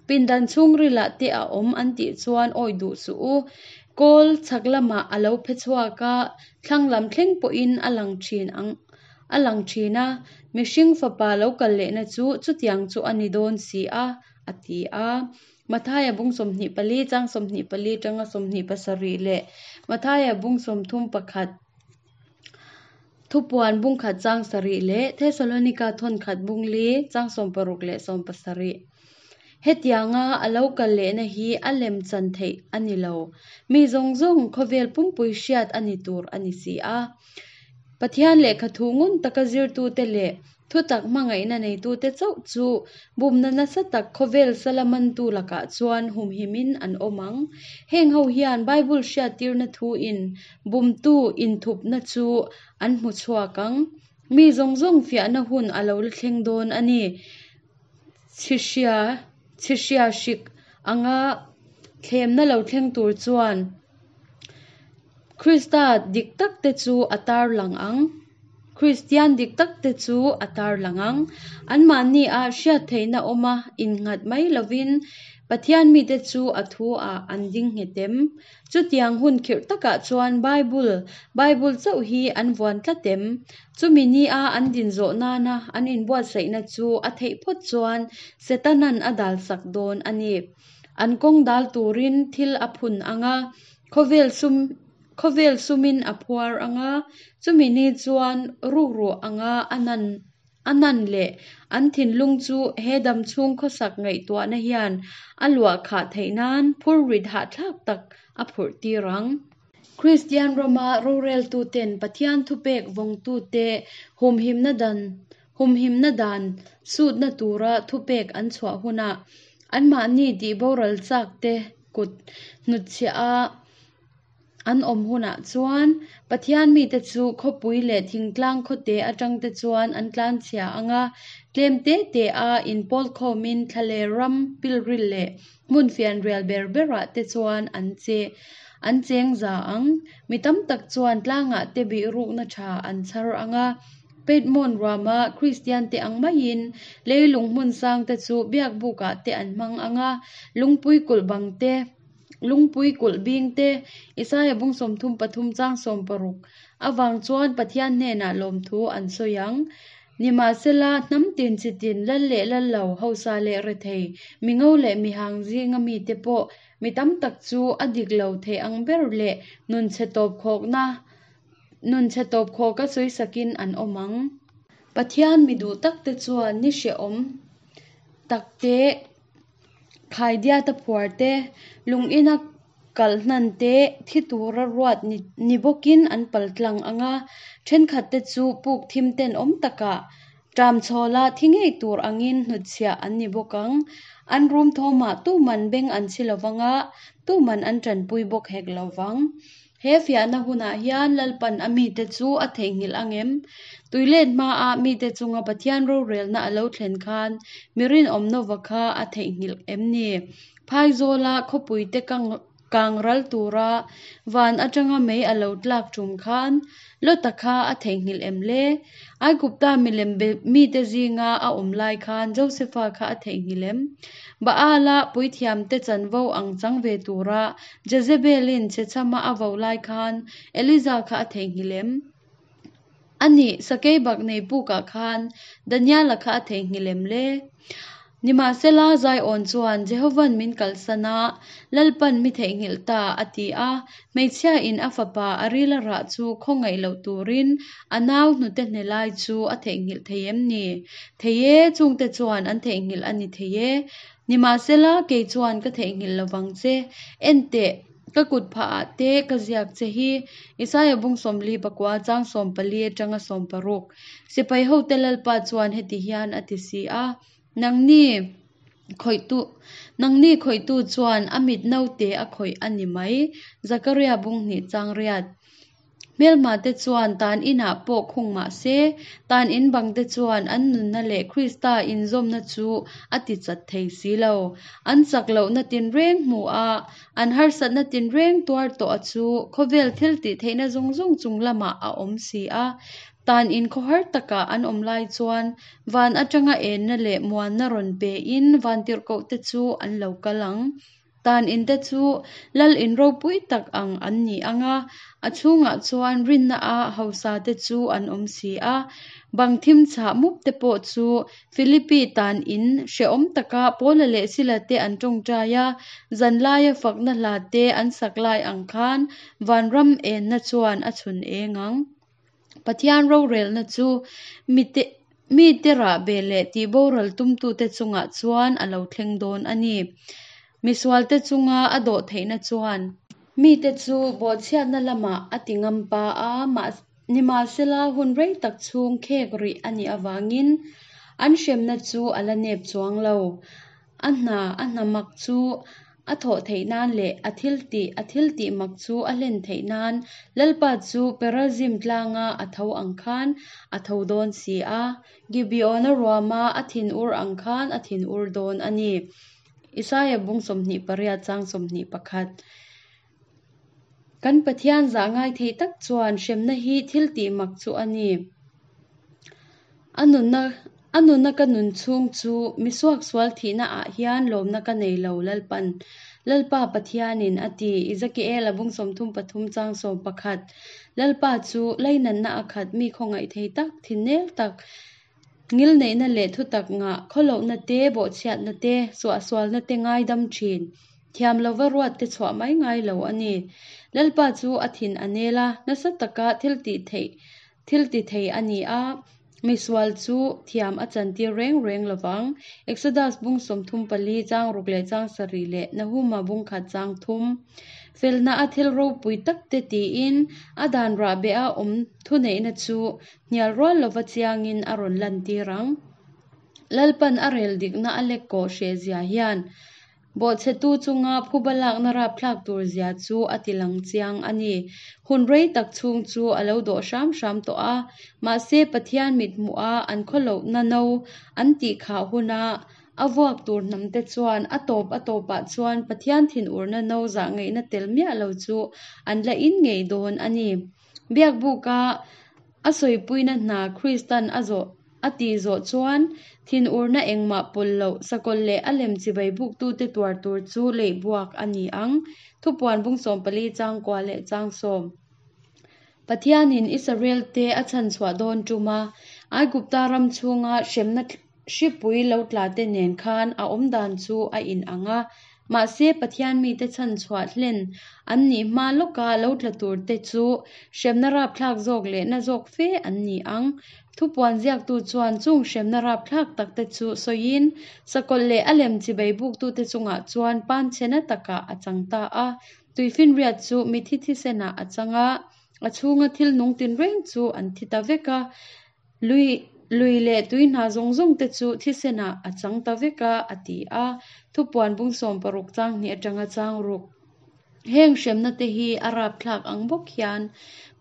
pindan chhungrilah te a awm an tih chuan awi duh suh u. Kawl chhak lamah a lo phe chhuak a, thlang lam thleng pawhin a lang thin ang a lang thin a, mihring fapa lo kal lehna chu chutiang chu a ni dawn si a, a ti a. Mathaia bung 24 chang 24 tanga 27 leh Mathaia bung 31. Thupuan bungkhat chang sarih leh Thesalonika thawnkhat bungli chang 16 leh 17. Hetianga a lo kal lehna hi a lem chan theih a ni lo. Mi zawng zawng khawvel pumpui hriat a ni tur a ni si a. Pathian lehkha thu ngun taka zirtute leh Thutak hmangaihna neitute chauh chu bumna nasa tak khawvel sala mantu lakah chuan humhimin an awm ang. Heng ho hian Bible hriattirna thuin bumtu inthupna chu an hmu chhuak ang. Mi zawng zawng fiahna hun a lo la thleng dawn a ni. Chhihria chhihria hrik anga thlemna lo thleng tur chuan Krista dik takte chu a tarlang ang. Kristian dik takte chu a tarlang ang. Anmahni-ah hriat theihna awma innghat mai lovin Pathian mite chu a thu-ah an ding nghet em? Chutiang hun khirh takah chuan Bible, Bible chauh hi an vuan tlat em? Chumi nia an din zawh nana an inbuatsaihna chu a theih phawt chuan Setana'n a dalsak dawn a ni. An kawng dal turin thil a phun ang a, khawvel sum khawvel sumin a phuar ang a, chumi ni chuan rukru anga a nan a nan leh an thinlung chu he damchhung khawsak ngaihtuahna hian a luah khah theih nan phurrit hahthlak tak a phurh tir ang. Kristian rama roreltuten Pathian thupek vawngtute humhimna dan humhimna dan sutna tura thupek an chhuah hunah anmahni tihboral chakte kut hnutchhiah a an awm hunah chuan Pathian mite chu khawpui leh thingtlang khawte atangte chuan an tlanchhia ang a, tlem te te a inpawl khawmin thlaler ram pilril leh hmun fianrial ber berah te chuan an che an cheng za ang. Mi tam tak chuan tlangah te bihrukna tha an chhar ang a, Piedmont ruama Kristian te ang maiin leilung hmun sang te chu biakbukah te an hmang ang a, lungpui kulh bang te, Lungpui kulh bing te, Isaia bung 33 chang 16 avang chuan Pathian hnenah lawmthu an sawi ang. Nimahsela, hnam tin chi tin, lal leh lal lo, hausa leh rethei, mingo leh mihang zinga mite pawh mi tam tak chu a dik lo thei ang ber leh nun chhe tawp khawkna nun chhe tawp khawka sawisakin an awm ang. Pathian mi duh takte chuan ni hrehawm takte Khaidiata phuar te, lung ina kalh hnan te, thi tura ruat ni bawkin an pal tlang ang a, thenkhat te chu puk thim ten awm takah ṭam chhawla thi ngei tur angin hnutchhiah an ni bawk ang. An rum thawmah tuman beng an chhi lovang a, tuman an ṭanpui bawk hek lovang. He fiahna hunah hian Lalpan a mite chu a theihnghilh ang em? Tuilet hmaah mite chunga Pathian rorelna a lo thlen khan mi rinawm Nova kha a theihnghilh em ni? Phaizawla khawpuite kang ral tura van atanga mei a lo tlak tum khan Lota kha a theihnghilh em le? Aigupta milem be mite zinga a awm lai khan Josefa kha a theihnghilh em? Baala puithiamte chanvo ang chang ve tura Jezebelin chhechhama a vo lai khan Eliza kha a theihnghilh em? A nih, sakeibak nei pukah khan Daniela kha a theihnghilh em le? Nimahsela, Zion chuan Jehovan min kalsan a, Lalpan mi theihnghilh ta, a ti a. Hmeichhiain a fapa a ril a rah chu khawngaih loh turin a nau hnute hne lai chu a theihnghilh thei em ni? Thei e, chungte chuan an theihnghilh a ni thei e. Nimahsela, kei chuan ka theihnghilh lovang che. En teh, ka kut phahah te ka ziak che hi. Isaia bung 49 chang 14 atanga 16. Sipai hote Lalpa chuan heti hian a ti si a, Nangni khawihtu, nangni khawihtu chuan a mit naute a khawih a ni mai. Zakaria bung hnih chang riat. Hmelma te chuan tan inah pawh khung mah se, tan in bang te chuan an nunna leh Krista inzawmna chu a ti chat thei si lo. An chak lohna tinreng hmu a, an harsatna tinreng tuar tawh a chu khawvel thil tih theihna zawng zawng chung lamah a awm si a. Tan in khawhar takah an awm lai chuan van atanga enna leh muanna rawn pe in vantirhkoh te chu an lo kal ang. Tan in te chu lal in ropui tak ang an ni ang a, a chhungah chuan rinna a hausa te chu an awm si a. Bang thim chhah mup te pawh chu Philippi tan in hrehawm taka Paula leh Sila te an tawngtai a, zanlaia fakna hla te an sak lai ang khan vanram enna chuan a chhun eng ang. Pathian rorelna chu mite mite rahbeh leh tihboral tumtute chungah chuan a lo thleng dawn a ni. Misualte chunga a dawh theihna chuan mite chu bawhchhiatna lamah a ti ngam pa a, nimahsela hun rei tak chhung khek rih a nih avangin an hremna chu a la nep chuang lo. A hna a hna mak chu a thawh theih nan leh a thil tih a thil tih mak chu a hlen theih nan Lalpa chu Perazim tlanga a tho ang khan a tho dawn si a, Gibeona ruama a thinur ang khan a thinur dawn a ni. Isaia bung 28 chang 21. Kan Pathian zah ngai thei tak chuan hremna hi thil tih mak chu a ni. A nunna a nunna ka nun chhung chu mi suaksual thihna ah hian lawmna ka nei lo Lalpan Lalpa Pathianin a ti Ezekiel-a bung 33 chang 11 Lalpa chu lainatna a khat mi khawngaih thei tak thinnel tak ngilneihna leh thutak ngah khawlohna te bawhchhiatna te suahsualna te ngaidam thin thiam lova ruat te chhuah mai ngai lo a ni. Lalpa chu a thin a nel a, nasa taka thil tih theih thil ti thei a ni a, misual chu thiam a chantir reng reng lovang. Exodus bung 34 chang ruk leh chang sarih leh Nahuma bung khat chang thum. Felna a thil ropui tak te tiin a dan rahbeh a awm thuneihna chu hnial rual lova chiangin a rawn lantir ang. Lalpan a rel dikna a lek kawh hreh zia hian bawhchhetu chunga phuba lakna rapthlak tur zia chu a ti lang chiang a ni. Hun rei tak chhung chu a lo dawh hram hram tawh a, mahse Pathian mithmuh a an khawlohna no an tih khah huna a vuak tur hnam te chuan a tawp a tawpah chuan Pathian thinurna no zah ngaihna tel miah lo chu an la in ngei dawn a ni. Biakbuka a sawipuina hna Kristan a zawh a tih zawh chuan thinurna engmah pawlh loh sakawlh leh a lem chibai buktute tuar tur chu leih buak a ni ang. Thupuan bung 14 chang kua leh chang sawm. Pathianin Israel te a chhanchhuah dawn tum a, Aigupta ram chhunga hremna hripui lo tla te nen khan a awm dan chu a inang a. Mahse Pathian mite chhanchhuah hlen an nih hma lawka lo tla tur te chu hremna rapthlak zawk leh na zawk fe an ni ang. Thupuan ziaktu chuan chung hremna rapthlak tak te chu sawiin sakawlh leh a lem chibai buktute chungah chuan panchhena takah a chang ta a. Tuifinriat chu mithi thisenah a chang a, a chhunga thil nung tinreng chu an thi ta vek a. Lui lui leh tui hna zawng zawng te chu thisenah a chang ta vek a, a ti a. Thupuan bung 60 chang hnih atanga chang ruk. Heng hremna te hi a rapthlak ang bawk hian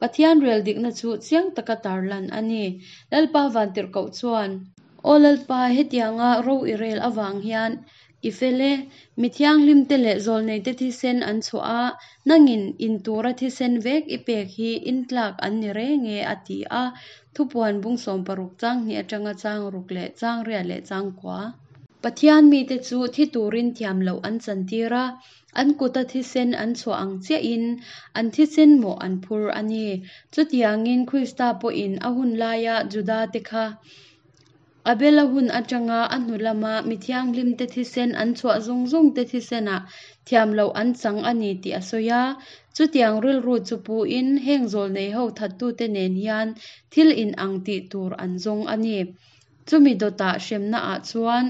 Pathian rel dikna chu chiang taka tarlan a ni. Lalpa vantirhkoh chuan, Aw Lalpa, hetianga ro i rel avang hian i fel e, mi thianghlim te leh zawlnei te thisen an chhuah a, nangin in tura thisen vek i pek hi in tlak an ni reng e, a ti a. Thupuan bung 60 chang hnih atanga chang ruk leh chang riat leh chang kua. Pathian mite chu thi turin thiam loh an chantir a, an kuta thisen an chhuah ang chiahin an thisen mawh an phur a ni. Chutiangin Krista pawhin a hun laia Juda te kha Abel-a hun atanga a hnu lama mi thianghlim te thisen an chhuah zawng zawng te thisenah thiam loh an chang a ni tih a sawi a. Chutiang rilru chu puin heng zawlnei ho thattute nen hian thil inang tih tur an zawng a ni. Chumi dawtah hremna ah chuan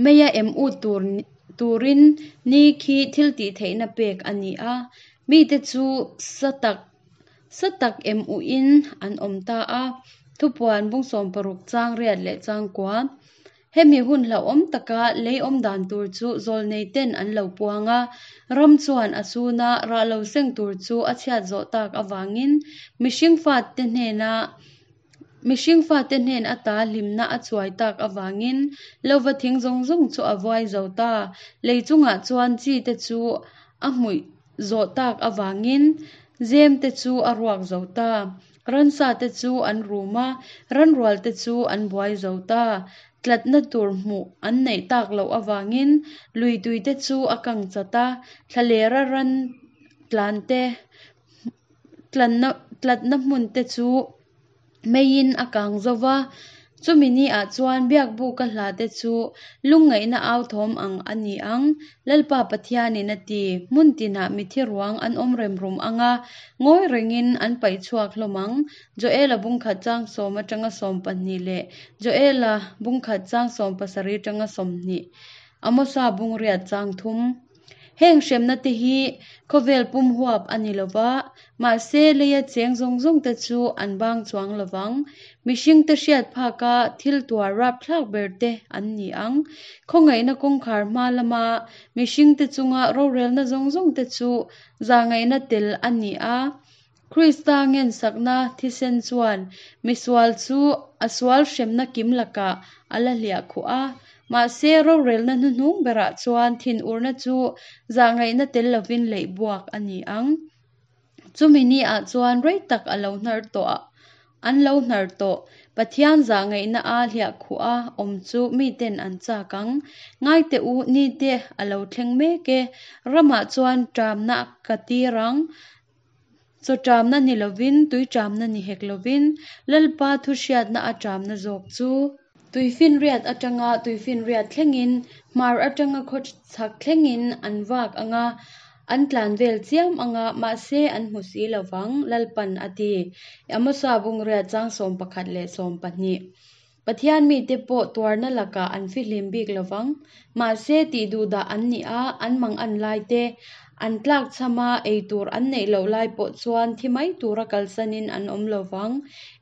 meia em ut tur turin ni khi thil tih theihna pek a ni a. Mite chu sa tak sa tak em uhin an awm ta a. Thupuan bung 60 chang riat leh chang kua. Hemi hun hlauhawm taka lei awm dan tur chu zawlnei ten an lo puang a. Ram chuan a chhuna rah lo seng tur chu a chhiat zawh tak avangin mihring fate hnena mihring fate hnen ata hlimna a chuai tak avangin lova thing zawng zawng chu a vuai zo ta. Lei chungah chuan chi te chu a hmuih zawh tak avangin zem te chu a ruak zo ta. Ransa te chu an rum a, ranrual te chu an buai zo ta. Tlatna tur hmuh an neih tak loh avangin lui tui te chu a kang chat a, thlalera ran tlan te tlanna tlatna hmun te chu meiin a kang zo va. Chumi ni ah chuan biakbuka hla te chu lungngaihna au thawm ang a ni ang. Lalpa Pathianin a ti, hmun tinah mithi ruang an awm rem rum ang a, ngawi rengin an paih chhuak hlawm ang. Joel-a bung khat chang sawm atanga 12 leh Joel-a bung khat chang 17 atanga 20, Amosa bung riat chang thum. Heng hremna te hi khawvel pum huap a ni lova, mahse leia cheng zawng zawng te chu an bang chuang lovang. Mihring te hriat phaka thil tuar rapthlak ber te an ni ang. Khawngaihna kawngkhar hma lama mihring te chunga rorelna zawng zawng te chu zahngaihna tel a ni a. Krista ngensakna thisen chuan misual chu a sual hremna kim lakah a la hliah khuh a. Mahse rorelna hnuhnung berah chuan thinurna chu zahngaihna tel lovin leih buak a ni ang. Chumi ni ah chuan rei tak a lo hnar tawh a. An lo hnar tawh. Pathian zahngaihna a hliahkhuh a awm chu miten an chak ang. Ngai teh u, nite a lo thleng mek e. Ramah chuan ṭamna ka tir ang. Chaw ṭamna ni lovin, tui ṭamna ni hek lovin, Lalpa thuhriatna a ṭamna zawk chu. Tuifinriat aṭanga tuifinriat thlengin, hmar aṭanga khaw chhak thlengin an vak ang a, an tlan vel chiam ang a, mahse an hmu si lo vang, Lalpan a ti. Amosa Bungriat chang 11 leh 12. Pathian mite pawh tuarna lakah an fihlim bik lo vang. Mahse, tih duhdah an nih a, an mangan lai te, an tlakchham a, ei tur an neih loh lai pawh chuan thi mai tura kalsanin an awm lo vang.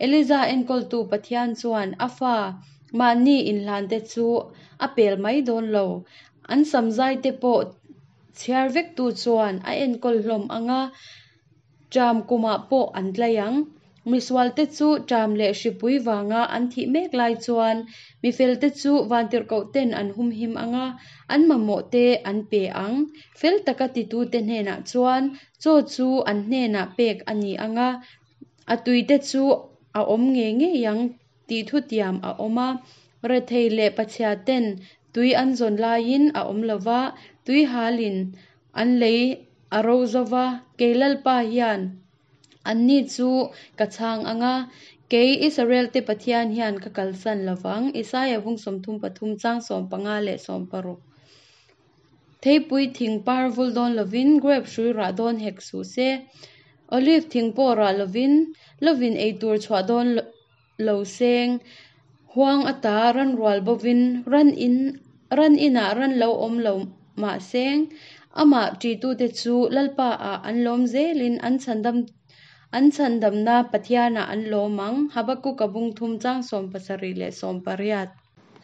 Eliza enkawltu Pathian chuan a fa mahni inhlante chu a pel mai dawn lo. An samzai te pawh chhiar vektu chuan a enkawl hlawm ang a, Ṭam kumah pawh an tlai ang. Misualte chu ṭam leh hripui vanga an thih mek lai chuan mifelte chu vantirhkohten an humhim ang a, an mamawhte an pe ang. Fel taka titute hnenah chuan chaw chu an hnenah pek a ni ang a, a tuite chu a awm ngei ngei ang tih thutiam a awm a. Rethei leh pachhiaten tui an zawn laiin a awm lo va, tui halin An lei a ro zo va, kei Lalpa hian anni chu ka chhang ang a, kei Israelte Pathian hian ka kalsan lo vang. Isaia vung 33 chang 15 leh 16. Theipui thing par vul dawn lovin grape hrui rah dawn hek suh se, olive thing pawh rah lovin lovin ei tur chhuah dawn lo seng, huang ata ran rual bovin ran in ran inah ran lo awm lo mah seng, amah ṭitute chu Lalpa ah an lawm zelin an chhandam an chhandamna Pathianah an lawm ang, Habakkuk-a bung thum chang 70 leh 80.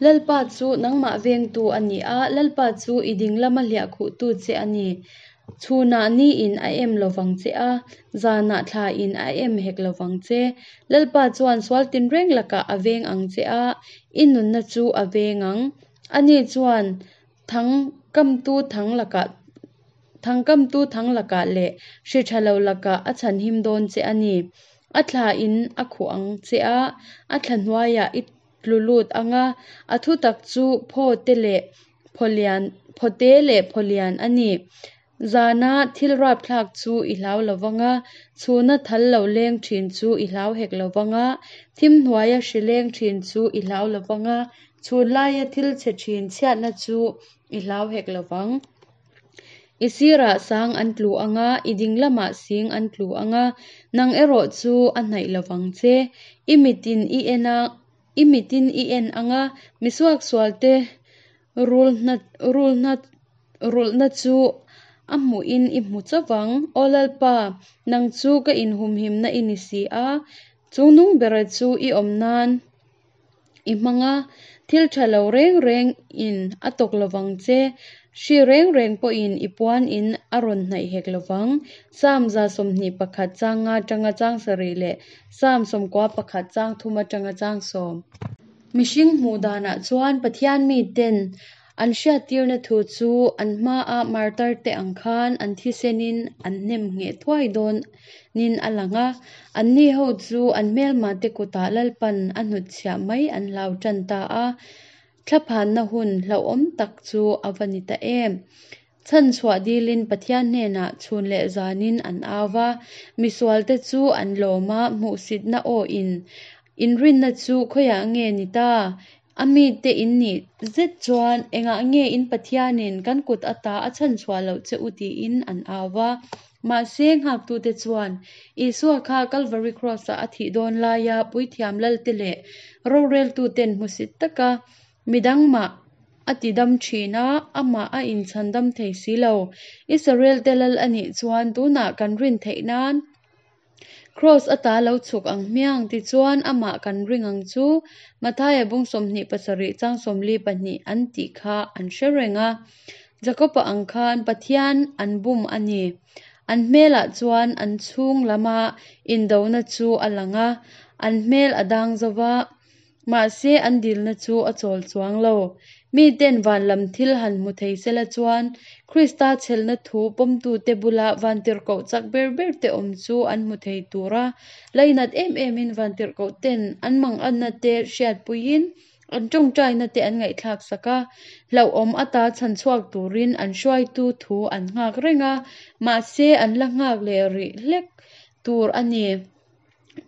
Lalpa chu nangmah vengtu a ni a, Lalpa chu i ding lama hliahkhuhtu che a ni. Chhunah niin a em lovang che a, zanah thlain a em hek lovang che. Lalpa chuan sual tinreng lakah a veng ang che a, i nunna chu a veng ang. Ani chuan thang kamtu thang lakah thang kamtu thang lakah leh hri tha lo lakah a chhanhim dawn che a ni. A thlain a khuh ang che a, a thla hnuaiah i tlu lut ang a, a thutak chu phaw te leh phawlian phawte leh phawlian a ni. Zana thil rapthlak chu i hlau lo vang a, chhuna thal lo leng thin chu i hlau hek lo vang a, thim hnuaia hri leng thin chu i hlau lo vang a, chhun laia thil chhe thin chhiatna chu i hlau hek lo vang. I sirah sang an tlu ang a, i ding lamah sing an tlu ang a, nang erawh chu a hnaih lo vang che. I mitin i en a, i mitin i en ang a, misuaksualte rulhna rulhna rulhna chu a hmuhin i hmu chauh vang. Aw Lalpa, nang chu ka inhumhimna i ni si a, chungnung bera chu i awm nan i hmang a, thil tha lo reng reng in a tawk lovang che, hri reng reng pawhin i puan in a rawn hnaih hek lovang. Psalm 121 chang nga atanga chang sarih leh Psalm 91 chang thum atanga chang sawm. Mihring hmuh danah chuan Pathian miten An hriattirna thu chu an hmaa martar te ang khan an thisenin an hnem ngheh thuai dawn nin a lang a, anni ho chu an hmelma te kutah Lalpan a hnutchhiah mai an hlau tan ta a, thlaphanna hun hlauhawm tak chu a va ni ta em. Chhanchhuah dilin Pathian hnenah chhun leh zanin an au va, misualte chu an lawm a, hmuhsitna aw in inrinna chu khawiah nge ni ta? A mite in nih zet chuan engah nge in Pathianin kan kut ata a chhanchhuah loh che u tiin an au va. Mahse, nghaktute chuan Isua kha Kalvari Kraws-ah a thih dawn laia puithiam lalte leh roreltuten hmusit taka midang mah a ti dam thin a, amah a inchhandam thei si lo. Israel-te lal a nih chuan tunah kan rin theih nan Kraws ata lo chhuk ang hmiang tichuan amah kan ring ang chu Mathaia bung 27 chang 42 an tih kha an hre reng a. Jakob-a ang khan Pathian an bum a ni. An hmelah chuan an chhung lama indona chu a lang a, an hmel a dang zo va, mahse an dilna chu a chawl chuang lo. Miten van lam thil han hmu thei sela chuan Krista chhelna thu pawmtute bula vantirhkoh chak ber berte awm chu an hmu thei tur a. Lainat em emin vantirhkohten an manganna te hriatpuiin an tawngtaina te an ngaihthlak sak a. Hlauhawm ata chhan chhuak turin an hruaitu thu an nghak reng a, mahse an la nghak leh rih hlek tur a ni.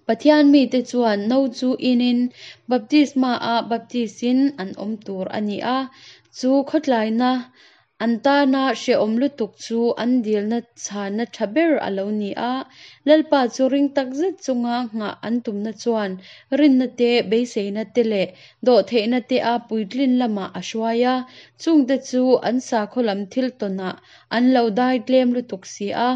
Pathian mite chuan no chu inin baptisma-ah baptis-in an awm tur a ni a, chu khawtlaina an tana hrehawm lutuk chu an dilna chhana tha ber a lo ni a. Lalpa chu ring tak zet chunga nghah an tumna chuan rinna te, beiseina te leh dawhtheihna te a puitlin lamah a hruai a, chungte chu an sakhaw lam thil tawnah an lo dai tlem lutuk si a.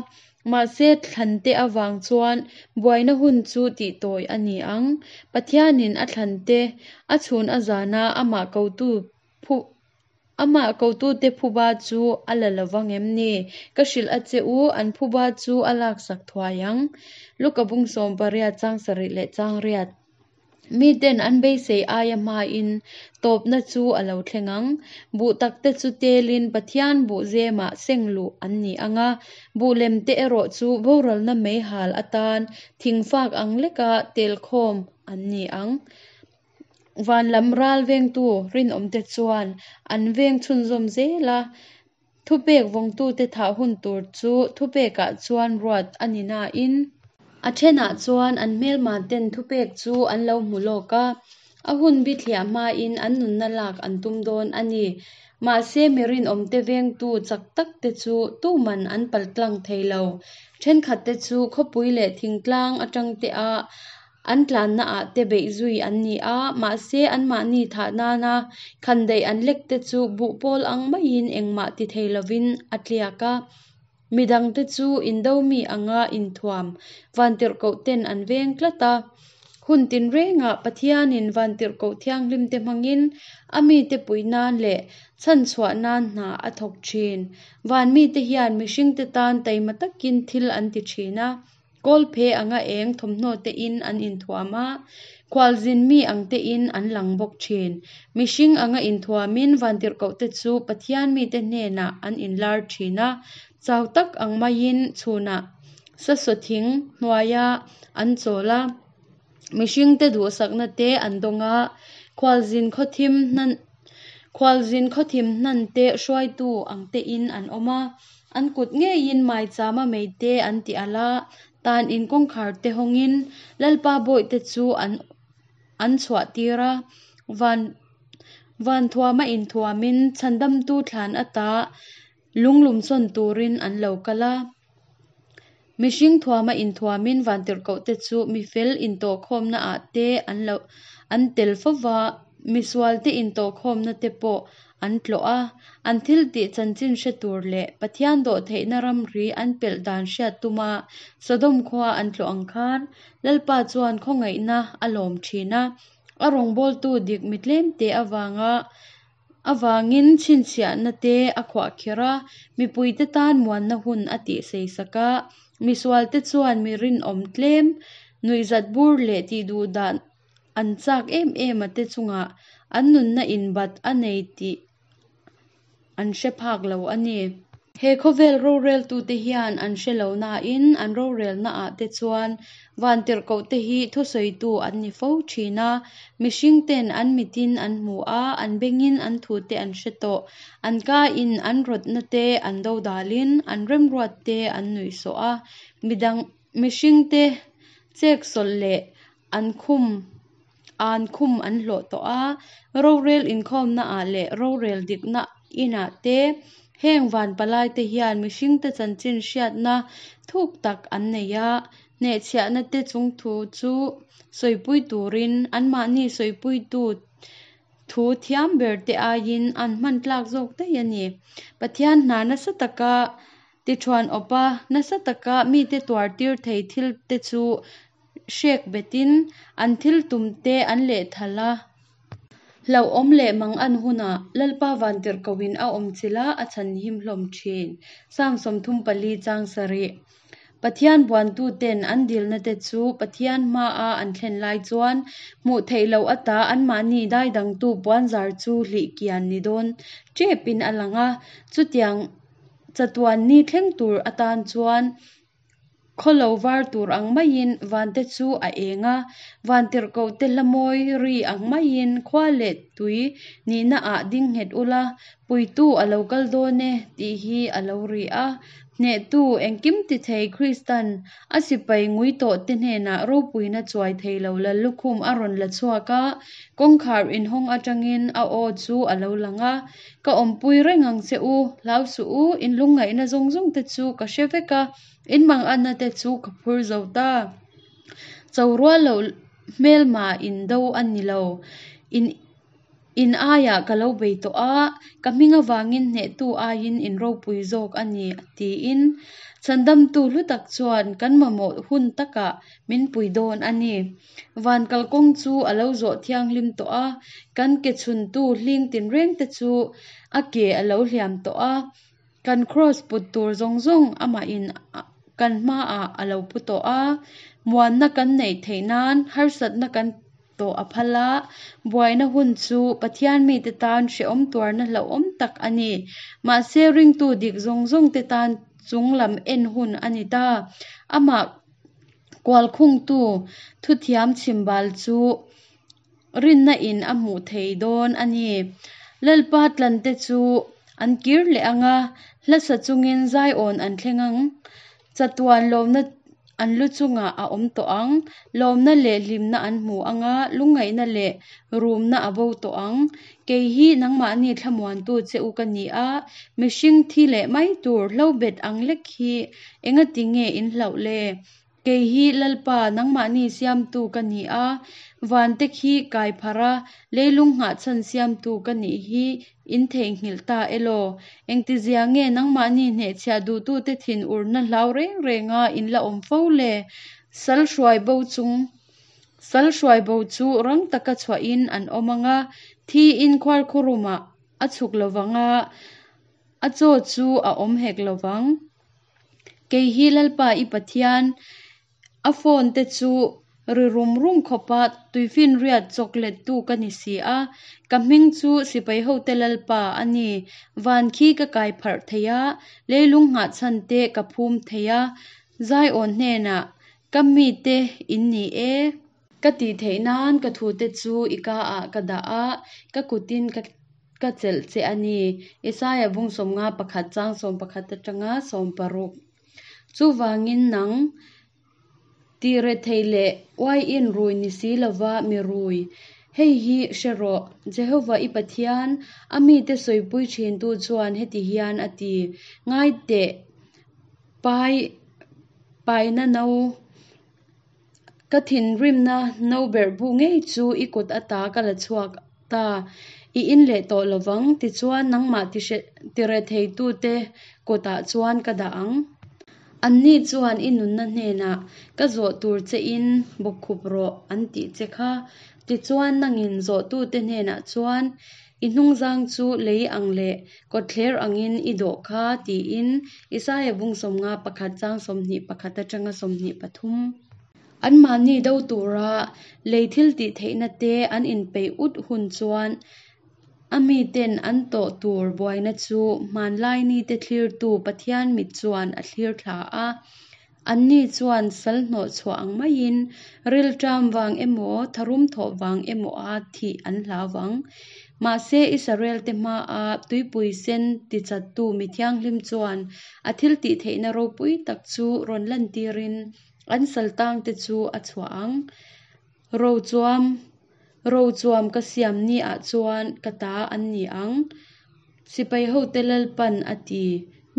Mahse, thlante avang chuan buaina hun chu tihtawi a ni ang. Pathianin a thlante a chhun a zana amah kotu phu amah kotute phuba chu a la lo vang em ni? Ka hrilh a che u, an phuba chu a laksak thuai ang. Luka bung 18 chang sarih leh chang riat. Miten an beisei aia hmain tawpna chu a lo thleng ang. Buh takte chu telin Pathian buh zemah seng luh an ni ang a, buh lemte erawh chu boralna meihal atan thingfak ang leka telkhawm an ni ang. Van lam ral vengtu rinawmte chuan an veng chhunzawm zel a, thupek vawngtute thah hun tur chu thupekah chuan ruat a ni nain, a thenah chuan an hmelmaten thupek chu an lo hmu lawk a, a hun bithliah hmain an nunna lak an tum dawn a ni. Mahse mi rinawmte vengtu chak takte chu tuman an paltlang thei lo. Thenkhatte chu khawpui leh thingtlang atangte a an tlannaah te beih zui an ni a, mahse anmahni thah nana khandaih an lekte chu buhpawl ang maiin engmah ti thei lovin a tliak a. Midangte chu indo mi anga inthuam vantirhkohten an veng tlat a. Hun tinrengah Pathianin vantirhkoh thianghlimte hmangin a mite puih nan leh chhanchhuah nan hna a thawk thin. Van mite hian mihringte tan taima takin thil an ti thin a, kawlphe anga eng thawmhnaw tein an inthuam a, khualzin mi ang tein an lang bawk thin. Mihring anga inthuamin vantirhkohte chu Pathian mite hnenah an inlar thin a, chau tak ang maiin chhunah sasaw thing hnuaia an chawl a, mihringte duhsakna te an dawng a, khualzin khawthim hnan khualzin khawthim hnan te hruaitu ang tein an awm a, an kut ngeiin maichama mei te an ti alh a, tan in kawngkhar te hawngin Lalpa bawihte chu an an chhuah tir a, van van thuama inthuamin chhandamtu thlan ata lunglum sawn turin an lo kal a. Mihring thuama inthuamin vantirhkohte chu mifel intawhkhawmnaah te an lo an tel fo va, misualte intawhkhawmna te pawh an tlawh a, an thiltih chanchin hre tur leh Pathian dawhtheihna ramri an pelh dan hriat tuma Sodom khua an tlawh ang khan Lalpa chuan khawngaihna a lawm thin a, a rawngbawltu dik mi tlemte avanga Avangin chhinchhiahna te a khuahkhirh a, mipuite tan muanna hun a tihsei sak a. Misualte chuan mi rinawm tlem, nuihzat bur leh tihduhdah an chak em em a te chungah an nunna inbat a nei tih an hre phak lo a ni. He khawvel roreltute hian an hre lo nain an rorelnaah te chuan vantirhkohte hi thusawitu an ni fo thin a, mihringten an mitin an hmu a, an bengin an thute an hre tawh, an kain an rawtna te an dodalin an remruat te an nuihsawh a, midang mihringte cheksawlh leh an khum an khum an hlawh tawh a, rorel inkhawmnaah leh rorel dikna inah te heng van palaite hian mihringte chanchin hriatna thuk tak an nei a, hnehchhiahna te chung thu chu sawipui turin anmahni sawipuitu thu thiam ber te aiin an hman tlak zawk daih a ni. Pathian hna nasa taka tithuan awp a, nasa taka mite tuar tir thei thil te chu hrek betin an thil tum te an lehthal a. Hlauhawm leh mang an hunah Lalpa vantirhkohin a awm chilh a, a chhan him hlawm thin. Psalm 34 chang sarih. Pathian buantuten an dilnate chu Pathian hmaa an thlen lai chuan hmuh theih loh ata anmahni daidangtu puanzar chu hlih kian ni dawn tepin a lang a. Chutiang chatuan ni thleng tur atan chuan Khaw lo var tur ang maiin vante chu a eng a, vantirhkohte hla mawi ri ang maiin khua leh tui nihna ah ding nghet ula, puitu a lo kal dawn e tih hi a lo ri a. Hnehtu, engkim ti thei Kristan a sipai ngui tawh te hnenah ropuina chuai thei lo Lallukhum a rawn la chhuak a, kawngkhar inhawng atangin a aw chu a lo lang a, Ka awmpui reng ang che u, hlau suh u, in lungngaihna zawng zawng te chu ka hre vek a, In manganna te chu ka phur zo ta. Cho rual loh hmelma in do a ni lo. In in aiah ka lo bei tawh a, ka hming avangin hnehtu aiin in ropui zawk a ni, tiin Chhandamtu hlu tak chuan kan mamawh hun takah min pui dawn a ni. Van kalkawng chu a lo zawh thianghlim tawh a, kan ke chhuntu hling tinreng te chu a ke a lo hliam tawh a. Kan kraws put tur zawng zawng amahin kan hmaah a lo pu tawh a, muanna kan neih theih nan harsatna kan tawh a phal a, buaina hun chu Pathian mite tan hrehawm tuarna hlauhawm tak a ni. Mahse ringtu dik zawng zawngte tan chung lam en hun a ni ta. Amah kualkhungtu thuthiam chhimbal chu Rinna in a hmuh thei dawn a ni. Lalpa tlante chu an kir leh ang a, hla sa chungin Zion an thleng ang. Chatuan lawmna an lu chungah a awm tawh ang. Lawmna leh hlimna an hmu ang a, lungngaihna leh rumna a bo tawh ang. Kei hi nangmahni thlamuantu che u ka ni a, mihring thi leh mai tur hlobet ang lek hi engati nge in hlauh le? Kei hi Lalpa, nangmahni siamtu ka ni a, vante khi kai pharh a, leilung nghahchhan siamtu ka nih hi in theihnghilh ta elaw? Engtizia nge nangmahni hnehchhiah duhtute thinurna hlau reng renga in la awm fo le? Sal hruai bo chung Sal hruai bo chu rang taka chhuahin an awm ang a, thiin khuarkhurumah a chhuk lovang a, a chaw chu a awm hek lovang. Kei hi Lalpa i Pathian, a phone te chu ri rum rum khawpa tuifinriat chawk lettu ka ni si a, ka hming chu sipai hote Lalpa a ni. Van khi ka kai pharh thei a, leilung nghahchhan te ka phum thei a, Zion hnenah, Ka mite in ni e. Ka tih theih nan ka thute chu i ka ah ka dah a, ka kutin ka ka chelh che a ni. Isaiah bung 51 chang 11 atanga 16. Chuvangin nang, tih rethei leh uaiin rui ni si lova mi rui, hei hi hre rawh, Jehovah i Pathian, a mite sawipui thintu chuan heti hian a ti, Ngai teh, pai paina no, Ka thinrimna no berh bu ngei chu i kut ata ka la chhuak ta, i in leh tawh lovang, tichuan nangmah tiretheitute kutah chuan ka dah ang. Anni chuan i nunna hnenah ka zawh tur chein bawkkhup rawh an tih che kha. Tichuan nangin zawhtute hnenah chuan i hnungzang chu lei ang leh kawtthler angin i dawh kha tiin Isaia bung 51 chang 21 atanga 23. Anmahni do tura lei thil tih theihna te an inpeih ut hun chuan a miten an tawh tur buaina chu hmanlai nite thlirtu Pathian mit chuan a thlir thla a. Anni chuan sal hnawh chhuah ang maiin rilṭam vang emaw, tharum thawh vang emawa thih an hlau vang. Mahse, Israelte hmaa tuipui sen tichattu mi thianghlim chuan a thiltihtheihna ropui tak chu rawn lantirin an sal tangte chu a chhuah ang. Rochuam, Rochuam ka siam niah chuan ka ta an ni ang. Sipai hote Lalpan a ti.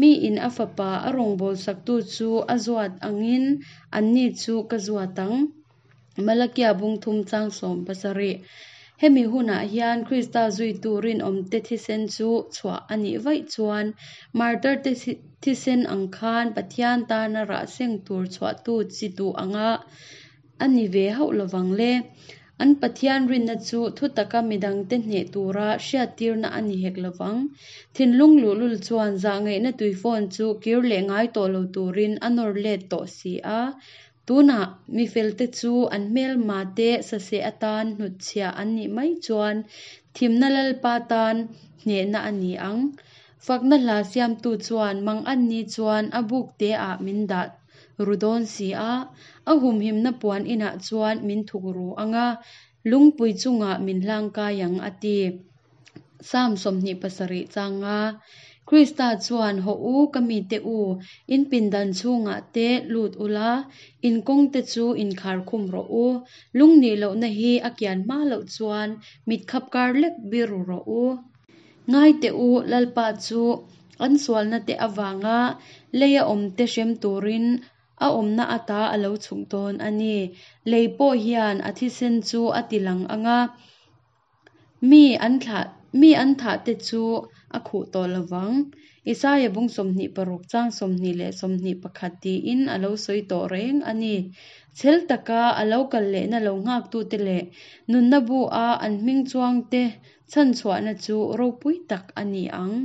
Miin a fapa a rawngbawlsaktu chu a zuat angin anni chu ka zuat ang. Malakia bung thum chang 70. Hemi hunah hian Krista zuitu rinawmte thisen chu chhuah a nih vaih chuan martarte thisen ang khan Pathian tana rah seng tur chhuahtu chi duh anga a ni ve hauh lovang le. An Pathian rinna chu thutaka midangte hneh tura hriattirna a ni hek lovang. Thinlung luhlul chuan zahngaihna tuifawn chu kir leh ngai tawh lo turin a nawr let tawh si a. Tunah mi felte chu an hmelmate saseh atan hnutchhiah an nih mai chuan thimna Lalpa tan hnehna a ni ang. Fakna hla siamtu chuan Manganni chuan a buk teah min dah ru dawn si a, a humhimna puan inah chuan min thuk ru ang a, lungpui chungah min hlangkai ang a ti. Psalm 27 chang nga. Krista chuan, Hawh u, ka mite u, in pindan chhungah te lut ula, in kawngte chu inkhar khum rawh u. Lungnih lohna hi a kian hma loh chuan mit khap kar lek biru rawh u. Ngai teh u, Lalpa chu an sualna te avanga leia awmte hrem turin a awmna ata a lo chhuk dawn a ni. Lei pawh hian a thisen chu a ti lang ang a, mi an thlah mi an thah te chu a khuh tawh lo vang. Isaia bung 26 chang 20 leh 21 tiin a lo sawi tawh reng a ni. Chhel taka a lo kal lehna lo nghaktute leh nunna bu-a an hming chuangte chhanchhuahna chu ropui tak a ni ang.